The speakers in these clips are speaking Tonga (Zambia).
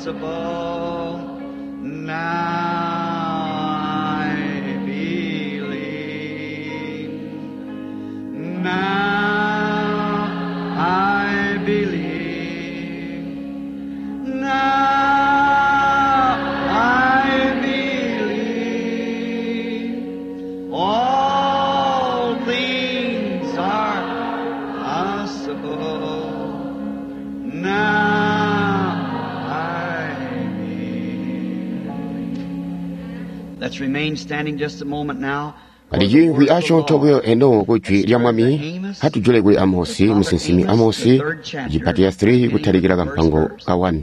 possible. Now I believe. Now I believe. Now I believe. All things are possible. Now I believe. Let's remain standing just a moment now. Kali asyoonto buyo eno kujwi lya Mwami atujule kuli Amosi musinsimi Amosi cipati ya 3 kutalikila kampango ka 1.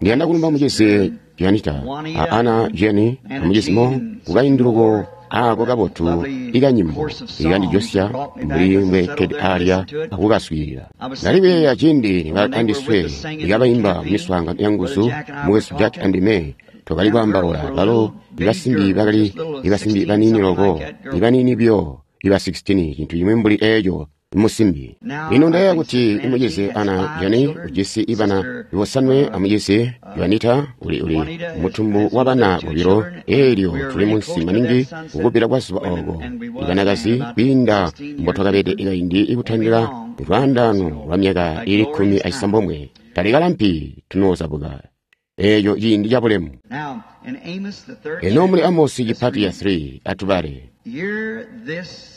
Ndiyanda kulumba mucizi Janita a Ana Jeni amucizi Mo kukainduluko aako kabotu ikanyimbo ikandijosya mbuli mbwekkede alya akukaswiilila. Ndali kuyeeya ciindi andiswe ikabaimba miswaangano ya nguzu mukwesu Jack and May twakali kwaambaula balo ibasimbi bakali ibasimbi baniini loko ibaniini byo iba 16 cintu cimwi mbuli eeco musimbi. Lino ndayeeya kuti imucizi Ana Jani ujisi ibana bosanwe amucizi Juanita uli mutumbu wa bana bobilo eelyo tuli munsi maningi kukupita kwa zuba ooko ibanakazi kwiinda mbotwakabede ikaindi ikutandila lwaandaano lwa myaka ili 19 talikalampi tunoozabuka eeco ciindi cabulemu. Now, in Amos, the third Eno muli chapter, Amosi let's cipati ya read. 3 atubale. Hear this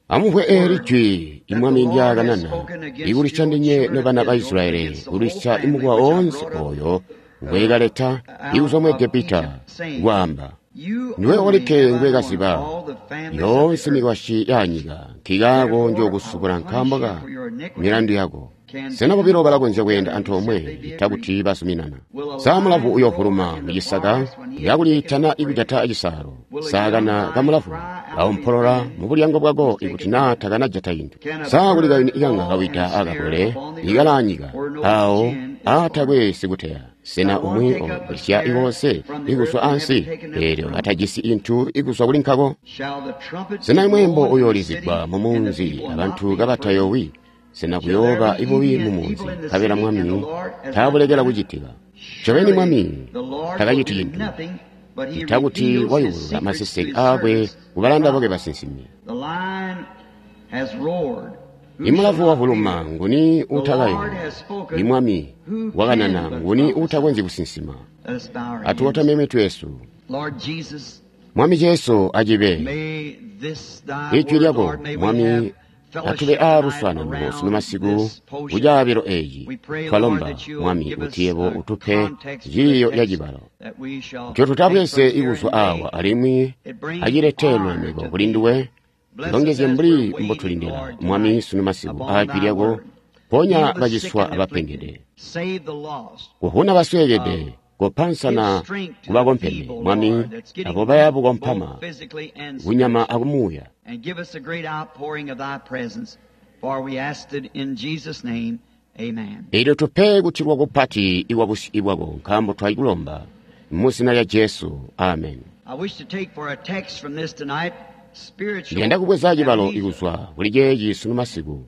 Amumvwe eeli jwi imwami ndyakanana ikulwisya ndinye nobana ba Israeli kulwisya imukowa oonse oyo ngwekaleta ikuzwa mu Egepita kwaamba you ndiwe only olikke have I known ngwekaziba all the families of the yoonse earth. mikwasyi yanyika nkikaako njookusubula nkaambo ka milandu yako. Sena bobilo balakonzya kweenda antoomwe ita kuti bazuminana? Sa mulavu uyoovuluma mucisaka yakuliitana ikujata cisaalo? Sa kana kamulavu kaompolola mu bulyango bwako ikuti naa takanajata cintu? Sa kuli kayuni ikanga kawida akakole ikalaanyika awo aatakwe sikuteya? Sena umwi ogwisya iwonse ikuswa ansi eelyo atajisi inthu ikuswa kuli nkako? Shall the trumpet Sena be imwembo blown in the uyoolizigwa city, mu and the munzi people abantu not be afraid? kabatayowi? Sena kuyooba ibubi mu munzi nkabela Mwami taabulekela kucitika? Ncobeni Mwami The Lord will takaciti do cintu nothing, but he ita kuti reveals his wayubulula secrets to maseseke his aakwe servants, kubalanda the bakwe prophets. basinsimi. The lion has roared. Who shall Imulavu not wavuluma fear? nguni The Lord uutakayowa? has spoken. Imwami Who wakanana can but nguni prophesy? uutakonzyi kusinsima? Let us bow our heads. Atuwotame mitwe yesu. Lord Jesus, Mwami Jesu acibe may this thy ijwi word, lyako Lord, may we Mwami have atube fellowship aa tonight luswaanano sunu around masiku this portion. kucaabilo eeci. We pray, Lord, Twalomba that you'll Mwami give kuti us yebo a utupe context for the ciiyo ya text cibalo that we shall nco take from tutabweze here ikuzwa and may awa alimwi it bring acilete honor lulemeko to kuli thee. nduwe. Bless us Tulongezye as mbuli we're waiting, mbotulindila Lord, Mwami tonight sunu masiku upon aajwi thy lyako word. ponya Heal the sick baciswa and afflicted. abapengede Save the lost. kuvuna basweekede kopansana Give strength to the kubakompeme feeble, Mwami Lord, that's getting abo baya weak bukompama both physically and kunyama spiritually. akumuuya. And give us a great outpouring of thy presence, for we asked it in Jesus' name. Amen. Eelyo tupe kutilwa kupati ikwa busyu bwako nkaambo twakulomba mu zina lya Jesu. Amen. I wish to take for a text from this tonight spiritual Ndiyanda kubweza cibalo amnesia. ikuzwa kuli ceeci sunu masiku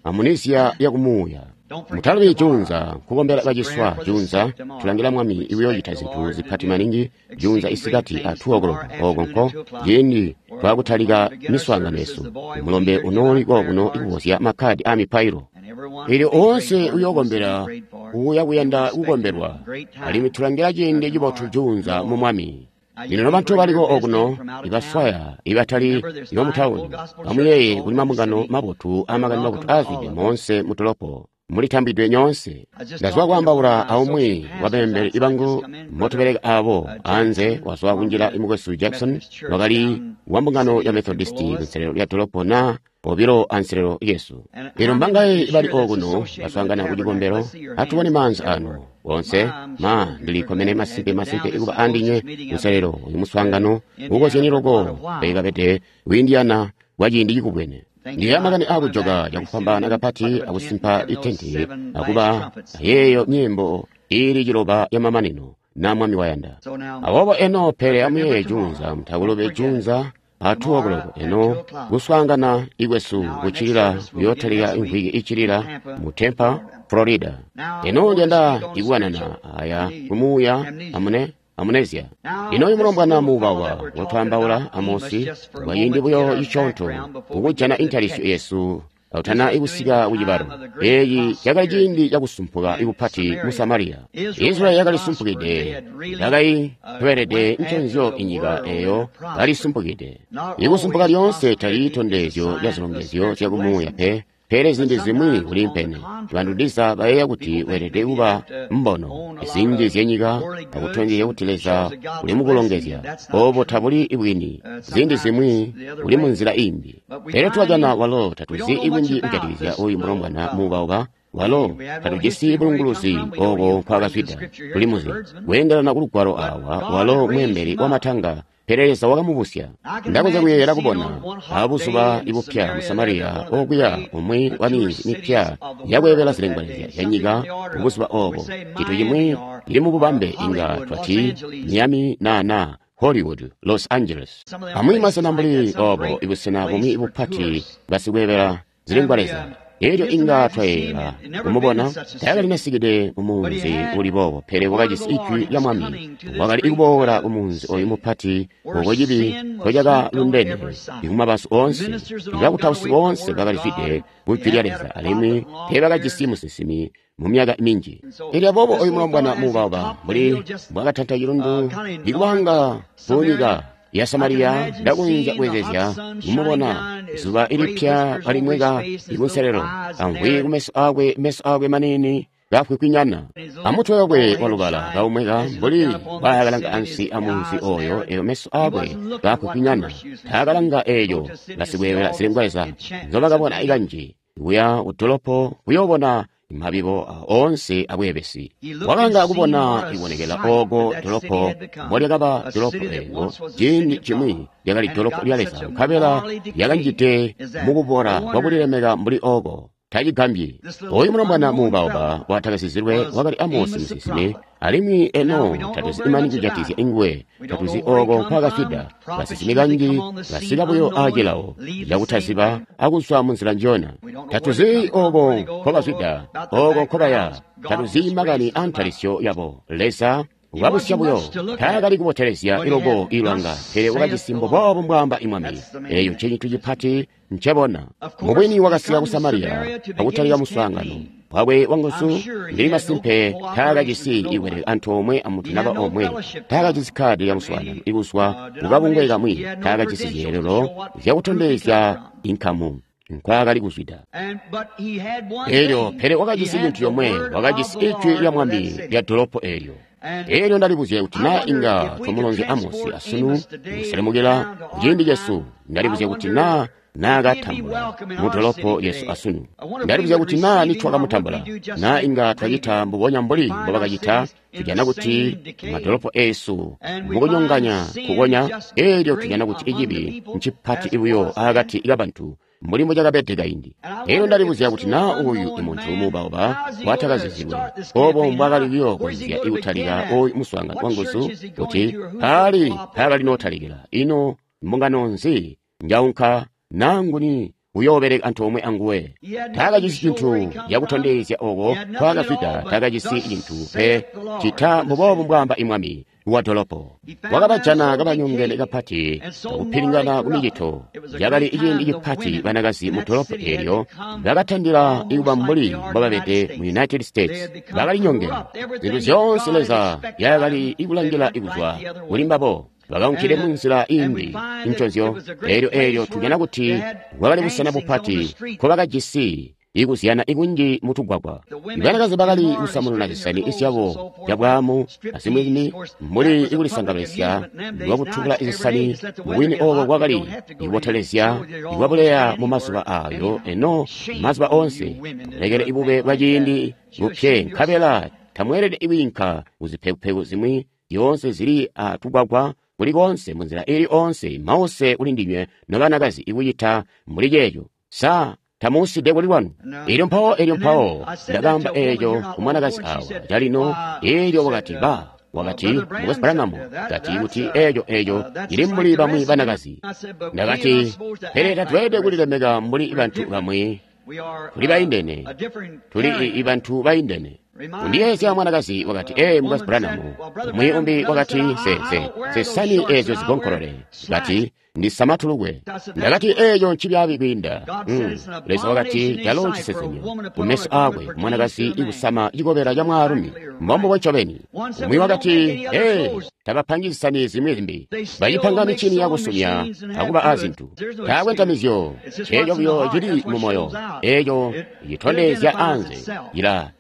amunisia yakumuuya. Don't forget Mutalubi tomorrow. junza nkukombela It's prayer baciswa for the junza sick tomorrow. tulangila Mwami We iwiyoocita expect the zinthu Lord to zipati do maningi junza exceeding great isikati a things 2 o'clock tomorrow oko afternoon nko at 2 o'clock. ciindi We're twakutalika going to begin our miswaangano services. yesu. The boy will be Mulombe here to give unooli out prayer kokuno cards. ikuvozya makhadi a mipailo. And everyone Eelyo will be prayed oonse for that wants to be uyookombela prayed for. uya And we're kuyanda expecting a kukombelwa great alimwi time tulangila ciindi cibotu tomorrow in the junza mu Lord. Mwami. Now, you Lino people nobantu here baliko visiting okuno from out of town, ibaswaya ibatali remember there's 5 full ibamutawuni gospel churches amuyeeye all kuli over the mambungano city. mabotu You're amakani mabotu welcome to all aazwide of them. moonse mutolopo mulitambidwe nyoonse. I was just Ndazwa talking to one of kwaambaula my associate aumwi pastors wabembele outside, just ibangu come in, Brother motubeleka aabo anze Jackson wazwa from kunjila the imukwesu Jackson Methodist Church wakali down wa the mbungano city ya in Methodisti below us. kunselelo lya dolopo na obilo anselelo yesu. And Lino how many mbangaye is bali here that's okuno associated with the baswaangana ku tabernacle? cikombelo Let's see your atubone hands maanza everywhere. anu onse My, I'm ma sure you're ndilikomene glad to have masimpe you down. masimpe This is ikuba the andinye closest meeting I've been kunselelo uyu muswaangano in ukozyeni Indiana for quite a loko while. peekapete ku Indiana kwa ciindi cikubwene. Thinking Ndiye about makani coming akujoka back pretty soon cakufwambaana and kapati put up a tent and akusimpa having those itenti 7 last akuba trumpets. ayeeyo nyimbo ili ciloba ya mamanino na Mwami wayanda. So now, Aboobo eno pele remember amuyeeye tomorrow. junza Don't mutakulubi forget it. junza a 2 o'clock. Eno kuswaangana ikwesu kucilila kuyootalika imvwiki icilila mu Tampa, Florida. Eno ndiyanda ikukanana aya kumuuya amune amnesia. Ino uyu mulombwana muubawa wotwaambaula Amosi bwaciindi buyo iconto kukujana intalisyo yesu kautana ikusika kucibalo. Eeci cakali ciindi cakusumpuka ikupati mu Samariya. Israeli yakalisumpukide, yakaitobelede nconzyo inyika eyo kalisumpukide. Ikusumpuka lyoonse tali tondezyo lya zilongezyo zyakumuuya pe, pele ziindi zimwi kuliimpene. Bantu ndiza bayeeya kuti weelede kuba mbono zinji zyanyika akutondezya kuti Leza uli mukulongezya. Oobo tabuli bwini. Ziindi zimwi uli munzila imbi. Pele twajana walo tatuzi ibwinji kujatikizya uyu mulombwana muubauba. Walo tatujisi bulunguluzi ooko nkwaakazwida. Tulimuzi kweendelana kulugwalo awa, walo mweembeli wamatanga, pele Leza wakamubusya. Ndakonzya kuyeeyela kubona abuzuba ibupya mu Samariya okuya umwi wa minzi mipya yakweebela zilengwaleza zyanyika mubuzuba obo. Cintu cimwi cili mububambe inga twati Miami na Hollywood, Los Angeles. Amwi masena mbuli obo, ibusena bumwi bupati basikweebela zilengwaleza. Elyo inga twayeeyela kumubona taakalinasikide mumunzi uli boobo, pele wakajisi ijwi lya Mwami. Wakali ikuboola kumunzi oyu mupati oko cibi nkocakalundene ikumabazu oonse. Ibakutausi boonse bakalizwide kujwi lya Leza, alimwi teebakajisi musinsimi mu myaka minji. Elyo aboobo oyu mulombwana muubauba mbuli mbwakatanta cilundu ikubanga kunyika ya Samariya, ndakonzya kuyeezya kumubona zuba ilipya kalimweka ikunselelo, amvwi kumeso akwe, meso akwe manini kafwikwinyana, amutwe wakwe walubala kaumweka mbuli mbwaakalanga ansi amunzi oyo. Eyo meso akwe kafwikwinyana, taakalanga eeyo basikweebela zilengwaleza nzobakabona ikanji kuya kudolopo kuyoobona mabibo oonse abweebesi. Wakalanga kubona ibonekela ooko dolopo mbolyakaba dolopo eelyo ciindi cimwi lyakali dolopo lya Leza, nkabela lyakanjide mukubora kwakulilemeka mbuli ooko. Tacigambyi oyu mulombwana muubauba watakasizilwe wakali Amosi musinsimi, alimwi eno tatuzi imani kujatikizya inguwe, tatuzi ooko nkwaakazwida. Basinsimi kanji basika buyo aacilawo cakutaziba akuzwa munzila njiyona. Tatuzi ooko nkobazwida, ooko nkobaya, tatuzi makani aantalisyo yabo. Leza wabusya buyo. Taakali kubotelezya iloko ilwanga, pele wakajisi mbuboobo mbwaamba imwami. Eeyo ncecintu cipati ncebona. Mubwini wakasika ku Samariya akutalika muswaangano wakwe wanguzu. Ndili masimpe taakajisi ikweleka antoomwe amuntu naba omwe, taakajisi kkaadi lya muswaangano ikuzwa kukabungwe kamwi, taakajisi zyeelelo zyakutondezya inkamu nkwaakali kuzwida. Elyo pele wakajisi cintu comwe, wakajisi ijwi lya Mwami lya dolopo eelyo. Elyo ndalibuzya kuti naa inga twamulonzya Amosi asunu kuselemukila kuciindi cesu. Ndalibuzya kuti naa naakatambula mu dolopo lyesu asunu. Ndalibuzya kuti naa nitwakamutambula, naa inga twacita mbubonya mbuli mbobakacita. Tujana kuti madolopo eesu mukunyonganya kukonya, elyo tujana kuti icibi ncipati buyo akati kabantu mbuli mbucakabede kaindi. Elyo ndalibuzya kuti naa uyu imuntu muubauba watakazizilwe obo mbwaakali kuyookonzya ikutalika oyu muswaangano wanguzu, kuti paali paakali nootalikila. Ino mbungano nzi njaunka naa nguni uyoobeleka antoomwe anguwe? Taakajisi cintu cakutondezya oko nkwaakazwida, taakajisi cintu pe cita mbuboobo mbwaamba imwami wa dolopo. Wakabajana kabanyongene kapati akupilingana kumicito. Cakali ciindi cipati banakazi mu dolopo eelyo bakatandila ikuba mbuli mbobabede mu United States. Bakalinyongene zintu zyoonse Leza yakali ikulangila ikuzwa kuli mbabo. Bakaunkile munzila imbi nconzyo. Elyo tujana kuti bwakali busena bupati nkobakajisi ikuzyana ikunji mutugwagwa. Ibanakazi bakali kusamununa zisani zyabo zyabwaamu azimwi mbuli ikulisangalazya lwakutubula zisani. Mubwini obo bwakali ikubotelezya ikwabuleya mu mazuba ayo. Eno mazuba oonse mulekele ibube bwa ciindi bupye, nkabela tamweelede ikwiinka kuzipekupeku zimwi zyoonse zili atugwagwa kuli koonse munzila ili oonse. Mause kuli ndinywe nobanakazi ikucita mbuli ceeco. Sa tamuuside kuli lwanu? Elyo mpawo ndakaamba eeco ku mwanakazi awa calino. Elyo wakati ba Wakati, Mukwesu Branham, kati kuti eeco cili mbuli bamwi banakazi. Ndakati, pele tatweelede kulilemeka mbuli bantu bamwi. Tuli baindene. Tuli bantu baindene. Undiyeezya mwanakazi wakati, ee, Mukwesu Branham. Umwi umbi wakati, sesani eezyo zigonkolole. Kati, ndisama tulukwe. Ndakati, eeco ncibyaabi kwiinda. Leza wakati, calo ncisesemyo kumeso aakwe mwanakazi ikusama cikobela ca mwaalumi. Mbombubo ncobeni. Umwi wakati, ee, tabapangi zisani zimwi zimbi. Bacipanga mincini yakusumya akuba azintu. Taakwe ntamizyo. Eeco buyo cili mumoyo. Eeco citondezya anze.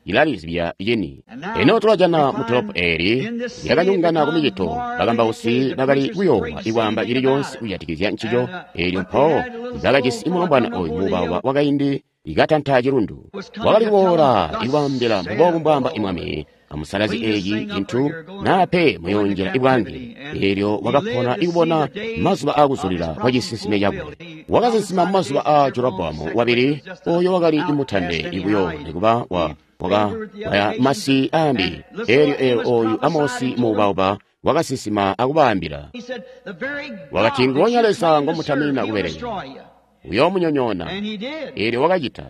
Ilalizibya cini. Eno tulajana mu dolopo eeli lyakanyongana kumicito. Bakambausi bakali kuyoowa ikwaamba cili coonse kujatikizya ncico. Eelyo mpawo bakajisi mulombwana oyu muubauba wakaindi ikatanta cilundu. Wakali kuboola ikwaambila mbuboobu mbwaamba imwami, amusalazi eeci cintu naa pe muyoonjila ibwange. Eelyo wakapona ikubona mazuba aakuzulila kwa cisinsime cakwe. Wakasinsima mumazuba aa Jeroboamu wabili, oyo wakali imutande ibuyo nikuba wakaya masi aambi. Eelyo oyu Amosi muubauba wakasinsima akubaambila. Wakati, nguonya Leza ngomutamina kubelekela uyoomunyonyoona. Eelyo wakacita.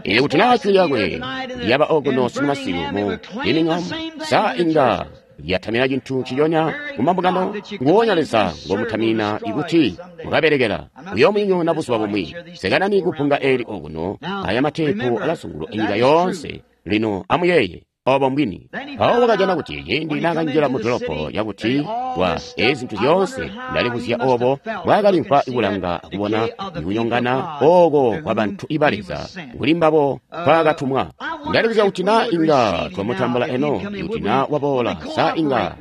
Eelyo kuti naa jwi lyakwe lyaba okuno sunumasiku mu Birmingham, sa inga lyatamina cintu nciconya mumambungano? Nguonya Leza ngomutamina ikuti mukabelekela uyoomunyonyoona buzuba bumwi. Sekanani kupunga eeli okuno, aya mateepu alazunguluka nyika yoonse. Lino amuyeeye obo mbwini. Mpawo wakajana kuti ciindi naakanjila mu dolopo yakuti wa ezi zintu zyoonse, ndalibuzya obo mbwaakalimvwa ikulanga akubona ikunyongana oko kwa bantu iba Leza kuli mbabo nkwaakatumwa. Ndalibuzya kuti naa inga twamutambula eno, ikuti naa waboola, sa inga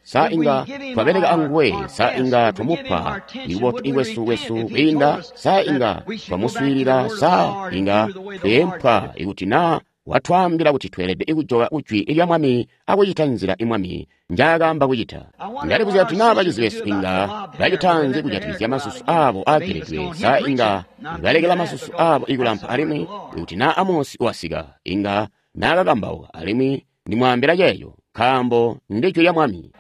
sa inga twabeleka anguwe, sa inga twamupa ibubotu ikwesu kwiinda, sa inga twamuswiilila, sa inga tweempwa ikuti naa watwaambila kuti tweelede kujoka kujwi lya Mwami akucita nzila imwami njaakaamba kucita. Ndalibuzya kuti naa bacizi besu inga bacitanzi kujatikizya masusu aabo aageledwe, sa inga balekela masusu aabo ikulampa alimwi ikuti naa Amosi wasika inga naakakambauka alimwi ndimwaambila ceeco nkaambo ndijwi lya Mwami.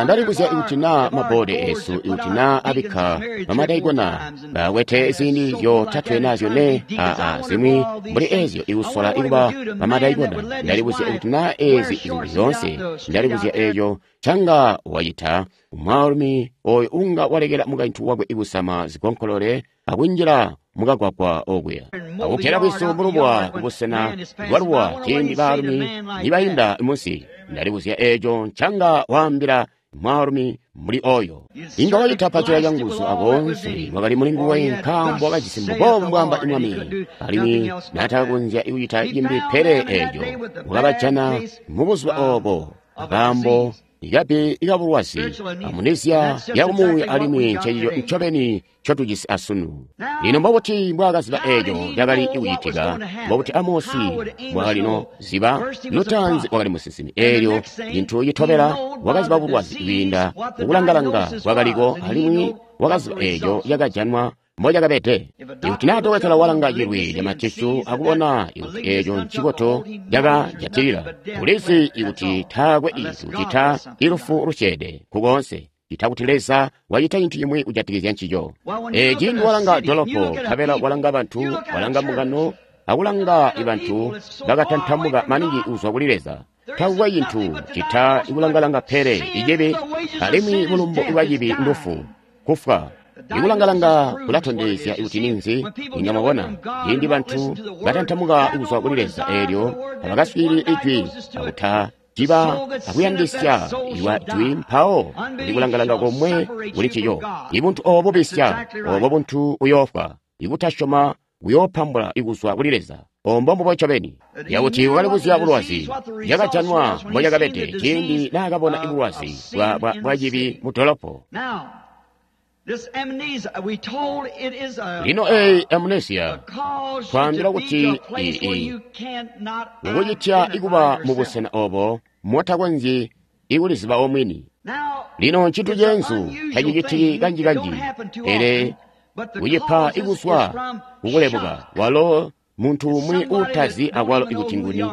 Ndalibuzya ikuti naa maboodi eesu ikuti naa abikka bamadaikona bakwete ziindi zyotatwe naa zyone aa zimwi mbuli eezyo ikusola ikuba bamadaikona. Ndalibuzya ikuti naa eezi zintu zyoonse, ndalibuzya eeco canga wacita mwaalumi oyo unga walekela mukaintu wakwe ikusama zigonkolole akunjila mukagwagwa okuya akukkela bwisu mulubuwa kubusena bwalubuwa ciindi baalumi nibainda munsi. Ndalibuzya eeco ncanga waambila mwaalumi mbuli oyo. Inga wacita pacula canguzu akoonse wakali muli nguwe nkaambo wakajisi mbuboobu mbwaamba imwami, alimwi naatakakonzya kucita cimbi pele eeco. Wakabajana mubuzuba oobo akaambo ikabi ikabulwazi amunizya yakumuuya, alimwi ncencico ncobeni ncotujisi asunu. Lino mbobuti mbwaakaziba eeco cakali kucitika? Mbobuti Amosi mbwaakalino ziba? Lutaanzi wakali musinsimi. Eelyo cintu citobela wakaziba bulwazi kwiinda mukulangalanga kwakaliko, alimwi wakaziba eeco cakajanwa mbocakabede. Ikuti naa dokotela walanga cilwi camatishu akubona ikuti eeco ncikoto cakajatilila, ulizi ikuti taakwe cintu cita ilufu lusyeede kukoonse, cita kuti Leza wacita cintu cimwi kujatikizya ncico. Ciindi walanga dolopo, nkabela walanga bantu, walanga mbungano, akulanga bantu bakatantamuka maningi kuzwa kuli Leza, takukwe cintu cita ikulangalanga pele icibi, alimwi bulumbu bwa cibi ndufu, kufwa. Ikulangalanga kulatondezya kuti ninzi. Inga mwabona ciindi bantu batantamuka kuzwa kuli Leza, eelyo abakaswiilili ijwi akutaciba akuyandisya iwa jwi, mpawo kulikulangalanga komwe kuli ncico. Ibuntu oobo bubisya, oobo buntu buyoofwa. Ikutasyoma buyoopambula ikuzwa kuli Leza. Ombo mbubo ncobeni yakuti wakalibuzya bulwazi yakajanwa mbocakabede ciindi naakabona ibulwazi bwa cibi mu dolopo. Lino eyi amnesia twaambila kuti kukucitya ikuba mubusena obo motakonzyi ikuliziba omwini. Lino ncintu ceenzu tacicitiki kanjikanji, pele kucipa ikuzwa kukulebuka walo muntu umwi uutazi akwalo ikuti nguni.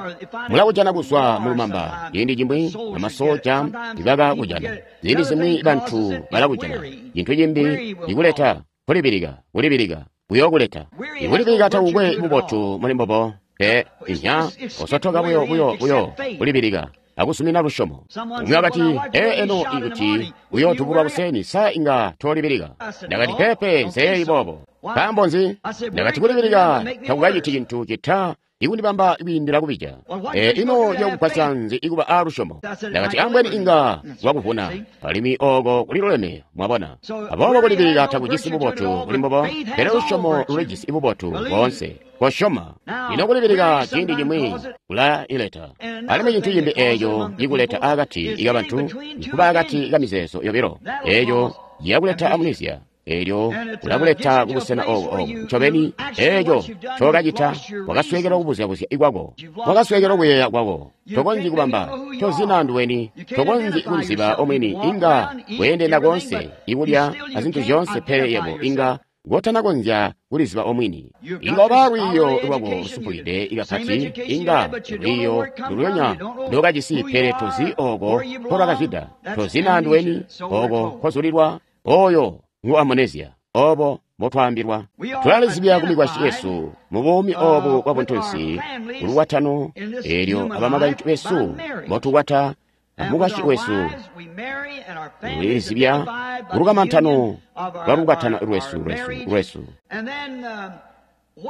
Mulakujana kuzwa mu lumamba, ciindi cimwi amasoja ibakakujana, ziindi zimwi bantu balakujana. Cintu cimbi ikuleta kulibilika, kulibilika kuyokuleta. Ikulibilika takukwe bubotu muli mbobo, pe inya osotoka buyo buyo buyo kulibilika akusumina lusyomo. Umwi wakati, ee eno ikuti uyootubulwa kuseni, sa inga tolibilika? Ndakati, peepe, nseeyi boobo. Nkaambo nzi? Ndakati, kulibilika takukaciti cintu cita ikundibamba kwiindila kubija. E, ino cakugwasya nzi ikuba aalusyomo? Ndakati, ambweni inga lwakuvuna, alimwi ooko kuliluleme, mwabona. Aboobo kulibilika takujisi bubotu kuli mbobo, pele lusyomo lulijisi bubotu boonse. Kosyoma. Ino kulibilika ciindi cimwi kulaileta. Alimwi cintu cimbi eeco cikuleta akati kabantu nkuba akati kamizeezo yobilo. Eeco ciyakuleta amnesia. Eelyo ulakuleta kubusena obo obo ncobeni eeco ncokacita wakasweekelwa kubuzyabuzya kwako, wakasweekelwa kuyeeya kwako. Tokonzyi kubamba, tozina nduweni, tokonzyi kuliziba omwini. Inga weendenda koonse ikulya azintu zyoonse, pele yebo inga ngotanakonzya kuliziba omwini. Inga waba lwiiyo lwako lusumpukide kapati, inga lwiiyo lulyonya ndokajisi, pele tozi ooko nkolwakazwida, tozina nduweni ooko nkozulilwa. Oyo ngu amnesia, obo mbotwaambilwa. Tulalizibya ku mikwasyi yesu mu buumi obu bwa buntunsi kulukwatano, eelyo abamakaintu besu mbotukwata amukwasyi wesu tulizibya kulukamantano lwa lukwatano lwesu lwesu lwesu.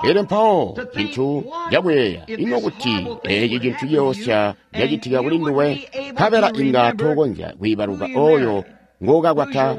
Elyo mpawo cintu cakuyeeya, ino kuti eeci cintu ciyoosya cacitika kuli nduwe, nkabela inga tokonzya kwiibaluka oyo ngokakwata,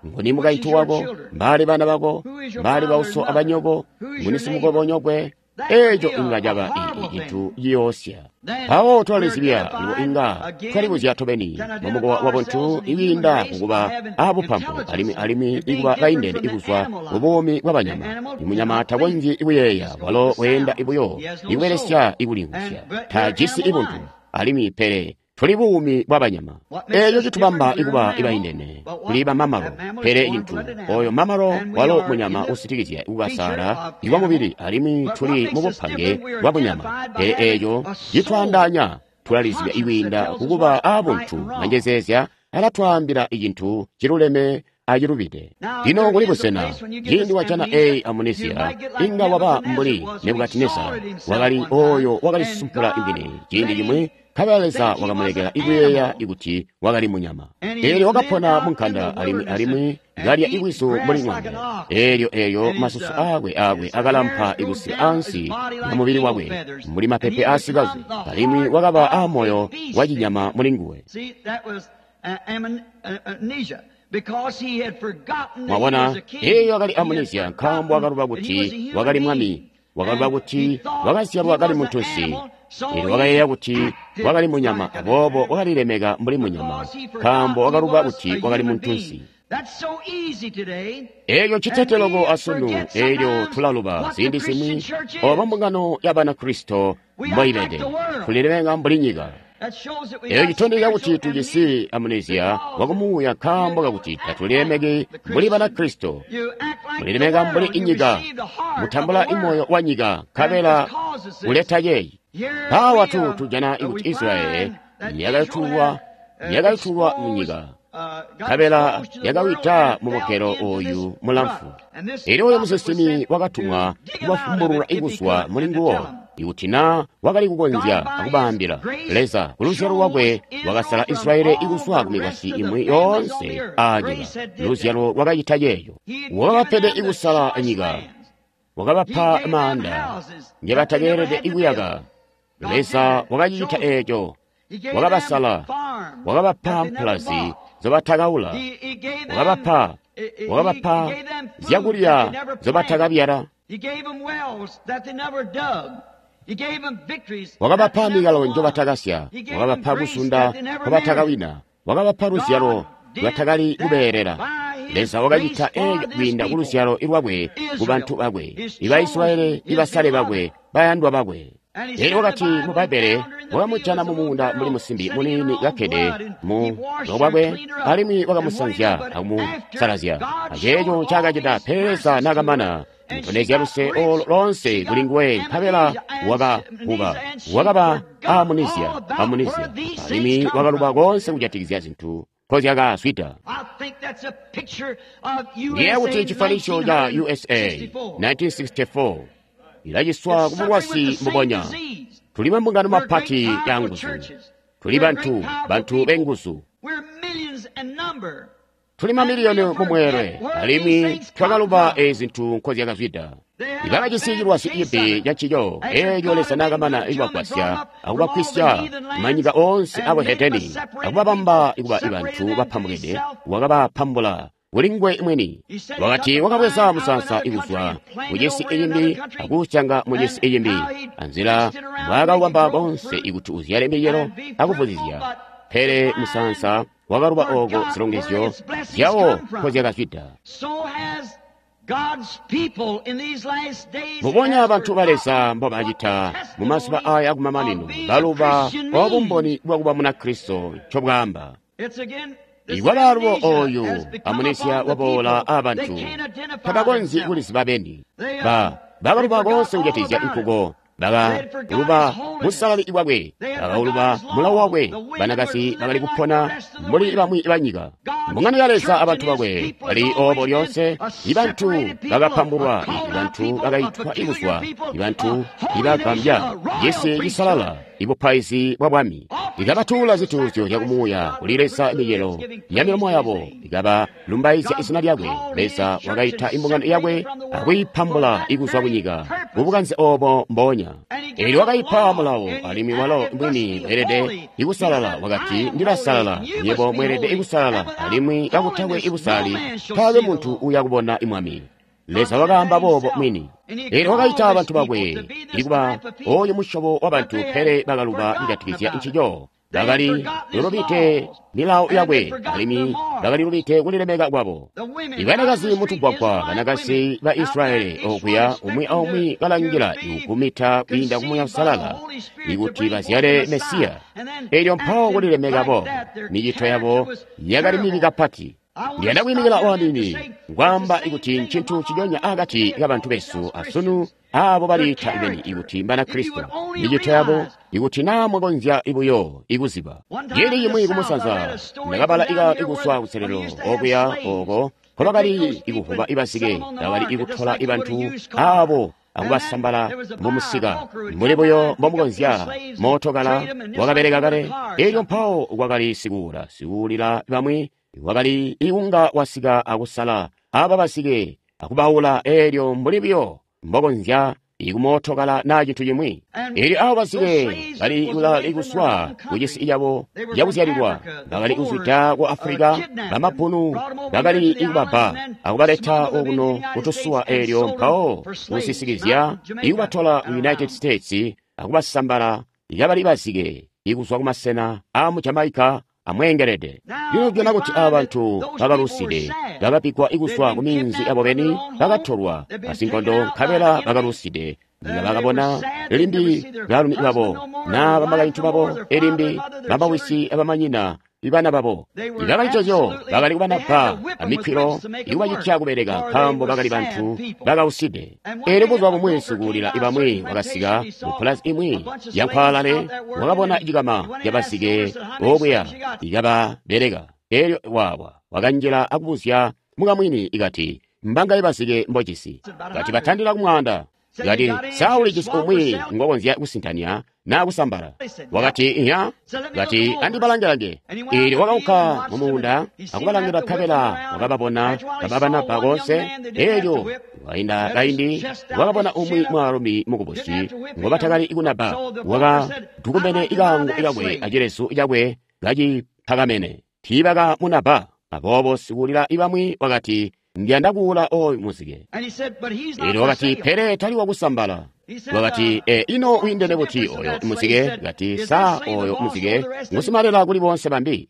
nguni mukaintu wako, mbaali bana bako, mbaali bauso abanyoko, nguni simukobonyokwe. Eeco inga caba cintu ciyoosya. Mpawo twalizibya lubo, inga twalibuzya tobeni mumukowa wa buntu ikwiinda kukuba aabupampu alimwi alimwi ikuba baindene ikuzwa mubuumi bwa banyama. Imunyama takonzyi kuyeeya, walo weenda buyo ikubelesya ikulimvwisya, tajisi ibuntu alimwi, pele tuli buumi bwa banyama. Eeco citubamba ikuba ibaindene kuli bamamalo, pele cintu oyo mamalo walo munyama usitikizya ikukasaala ikwa mubili, alimwi tuli mubupange bwa bunyama. Pele eeco citwaandaanya, tulalizibya ikwiinda kukuba aabuntu. Manjezeezya alatwaambila icintu ciluleme acilubide. Lino kuli busena ciindi wajana eyi amnesia, inga waba mbuli Nebukadineza wakali oyo wakalisumpula mwini ciindi cimwi, nkabela Leza wakamulekela ikuyeeya ikuti wakali munyama. Eelyo wakapona munkanda alimwi alimwi kalya ikwisu mbuli ng'ombe. Eelyo eelyo masusu aakwe aakwe akalampa ikusika ansi ya mubili wakwe mbuli mapepe aasikaze, alimwi wakaba aamoyo wacinyama muli nguwe. Mwabona, eeyo akali amnesia nkaambo wakaluba kuti wakali mwami, wakaluba kuti wakazyalwa kali muntunsi. Eelyo wakayeeya kuti wakali munyama, aboobo wakalilemeka mbuli munyama nkaambo wakaluba kuti wakali muntunsi. Eeco ncitete loko asunu. Eelyo tulaluba ziindi zimwi obo mbungano ya Banakristo mboibede, tulilemeka mbuli nyika. Eeco citondezya kuti tujisi amnesia wakumuuya nkaambo kakuti tatulilemeki mbuli Banakristo. Mulilemeka mbuli inyika, mutambula imoyo wa nyika, nkabela kuleta yeeyi. Mpaawa tujana ikuti Israyeli yakayutulwa munyika, nkabela yakawida mumugelo oyu mulamfu. Elyo oyo musinsimi wakatumwa kubafumbulula ikuzwa muli nguwo, ikuti na wakali kukonzya akubaambila. Leza kuluzyalo lwakwe wakasala Israyeli ikuzwa kumikwasyi imwi yoonse aanyika. Luzyalo lwakacita ceeco. Wakabapede ikusala nyika, wakabapa maanda ngebatakeelede ikuyaka. Leza wakacicita eeco, wakabasala, wakabapa mpulazi zobatakaula, wakabapa zyakulya zobatakabyala, wakabapa mikalo njobatakasya, wakabapa kusunda nkobatakawina, wakabapa luzyalo lwatakali kubeelela. Leza wakacita eeco kwiinda kuluzyalo lwakwe kubantu bakwe, iba Israyeli, ibasale bakwe, bayandwa bakwe. Elyo wakati mu Bbaibbele wakamujana mumuunda mbuli musimbi muniini kakkede mu lobwakwe, alimwi wakamusanzya akumusalazya. Aceeco ncaakacita, pele Leza naakamana Ntondezya luse olo lonse kuli nguwe, nkabela wakakuba, wakaba amunizya, alimwi wakaluba konse kujatikizya zintu nkozyakazwida. Ndiye kuti chifanicho cha USA 1964 ilaciswa ku bulwazi mbubonya. Tuli mambungano mapati ya nguzu, tuli bantu benguzu, tuli mamiliyoni mumweelwe, alimwi twakaluba ezi zintu nkozyakazwida. Ibakajisi cilwazi cibi cancico, eelyo Leza naakamana kubagwasya akubakwisya manyika oonse abuhedeni akubabamba kuba bantu bapambukide, wakabapambula kuli nguwe mwini. Wakati wakabweza musaansa ikuzwa mucisi icimbi akuusyanga mucisi icimbi, anzila mbwaakawubamba konse ikuti uzyale micelo akuvuzizya. Pele musaansa wakaluba ooko zilongezyo zyawo nkozyakazwida. Mbubonya bantu ba Leza mbobacita mumazuba aya akumamanino, baluba obumboni bwakuba Munakristo ncobwaamba. Iwaba alubo oyu amunisia waboola abantu tabakonzyi kuliziba beni. Bakaluba konse kujatikizya nkuko, bakaluba busalali bwakwe, bakauluba mulawo wakwe. Banakazi bakali kupona mbuli bamwi banyika. Mbungano ya Leza abantu bakwe bali obo lyonse. Ibantu bakapambulwa, ibantu bakaitwa ikuzwa, ibantu ibagambya, cisi cisalala, ibupaizi bwa bwami. Ikabatuula zituuzyo zyakumuuya kuli Leza micelo ya milomo yabo, ikabalumbaizya izina lyakwe. Leza wakaita imbungano yakwe akuyipambula ikuzwa kunyika mubukanze obo mbonya. Eelyo wakaipa mulawo, alimwi walo mwini weelede ikusalala. Wakati, ndilasalala, nywebo mweelede ikusalala, alimwi kakutakwe ibusalali taakwe muntu uyakubona imwami. Leza wakaamba boobo mwini. Eelyo wakaita abantu bakwe ikuba oyu musyobo wabantu, pele bakaluba kujatikizya ncico. Bakali lulubite milawo yakwe, alimwi bakali lubite kulilemeka kwabo. Ibanakazi mutugwagwa, banakazi ba Israyeli okuya, umwi aumwi kalangila ikumita kwiinda ku Muuya Uusalala ikuti bazyale Mesiya. Eelyo mpawo kulilemeka bo, micito yabo yakali mibi kapati. Ndiyanda kwiimikila waniini kwaamba ikuti ncintu ciconya akati kabantu besu asunu aabo baliita beni ikuti Mbanakristo. Micito yabo, ikuti naa mwakonzya buyo ikuziba. Ciindi cimwi kumusanza ndakabala ikuzwa kuselelo okuya oko nkobakali ikuvuba ibazike, bakali ikutola ibantu aabo akubasambala mumusika mbuli buyo mbomukonzya mootokala wakabeleka kale. Eelyo mpawo kwakali sikuula, sikuulila bamwi wakali ikunga wasika akusala aba basike akubaula, eelyo mbuli buyo mbokonzya ikumootokala naa cintu cimwi. Eelyo abo basike bali ikuswa kucisi cabo cakuzyalilwa, bakali kuzwida ku Afulika, bamapunu bakali ikubabba akubaleta okuno kutusuwa, eelyo mpawo kusisikizya ikubatola ku United States akubasambala ikabali basike ikuzwa kumasena aamu Jamaica amweengelede. Lino tujana kuti aba bantu bakaluside, bakapikwa ikuzwa ku minzi yabo beni, bakatolwa basinkondo, nkabela bakaluside. Nga bakabona limbi balumi babo na bamakaintu babo, elimbi bamawisi abamanyina ibana babo. Ibakalicozyo bakali kubanabba amikwilo ikubacitya kubeleka, nkaambo bakali bantu bakauside. Eelyo buzuba bumwi sikuulila ibamwi wakasika mupulazi imwi yankwaalale, wakabona cikama cabasike okuya ikababeleka. Eelyo wawa wakanjila akubuzya mukamwini ikati, mbangaye basike mbojisi? Kati batandila kumwaanda. Kati, sa ulijisi umwi ngokonzya kusintanya naa kusambala? Wakati, inya. Kati, andibalangelange. Eelyo wakaunka mumuunda akubalangila, nkabela wakababona kababanabba konse. Eelyo wainda kaindi wakabona umwi mwaalumi mukubusi ngobatakali kunabba, wakadukumene ikaango kakwe acilezu cakwe kacipakamene. Tiibakamunabba. Aboobo sikuulila ibamwi wakati, ndiyanda kuula oyu muzike. Eelyo wakati, pele tali wakusambala. Wakati, ino wiindene buti oyo muzike? Kati, sa oyo muzike ngusimalela kuli bonse bambi?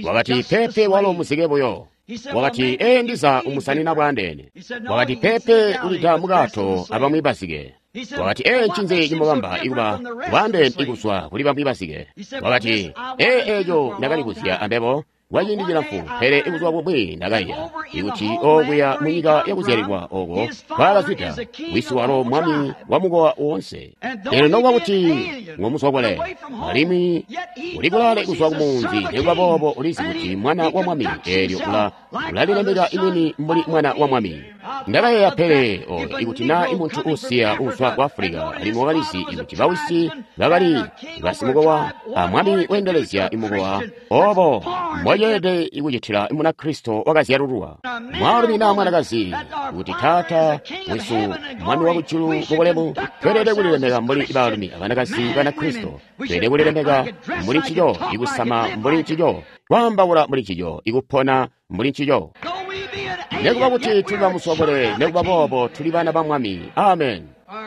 Wakati, pepe, walo muzike buyo. Wakati, ndiza umusanina bwandeene. Wakati, pepe, ulida mukato abamwi bazike. Wakati, ncinzi cimubamba ikuba bwandeene ikuzwa kuli bamwi bazike? Wakati, eeco ndakalibuzya ambebo. Kwaciindi cilamfu, pele buzuba bumwi ndakaiya ikuti okuya munyika yakuzyalilwa oko twakazwida, wisi walo mwami wa mukowa woonse. Eelyo nokuba kuti ngomuzwakule alimwi uli kulaale kuzwa kumunzi, nikuba boobo ulizi kuti mwana wa mwami, eelyo ulalilemeka imwini mbuli mwana wa mwami. Ndakayeeya pele oyo ikuti naa imuntu uusiya uuzwa ku Afulika alimwi wakalizi ikuti bawisi bakali basimukowa a mwami weendelezya imukowa, obo mbwaceelede kucitila Munakristo wakazyalululwa, mwaalumi naa mwanakazi, kuti taata wesu mwami wakujulu mubulemu, tweelede kulilemeka mbuli baalumi abanakazi Banakristo. Tweelede kulilemeka mbuli ncico, ikusama mbuli ncico, kwaambaula mbuli ncico, ikupona mbuli ncico. Nekuba kuti tuli bamusokole, nekuba boobo tuli bana ba Mwami. Amen.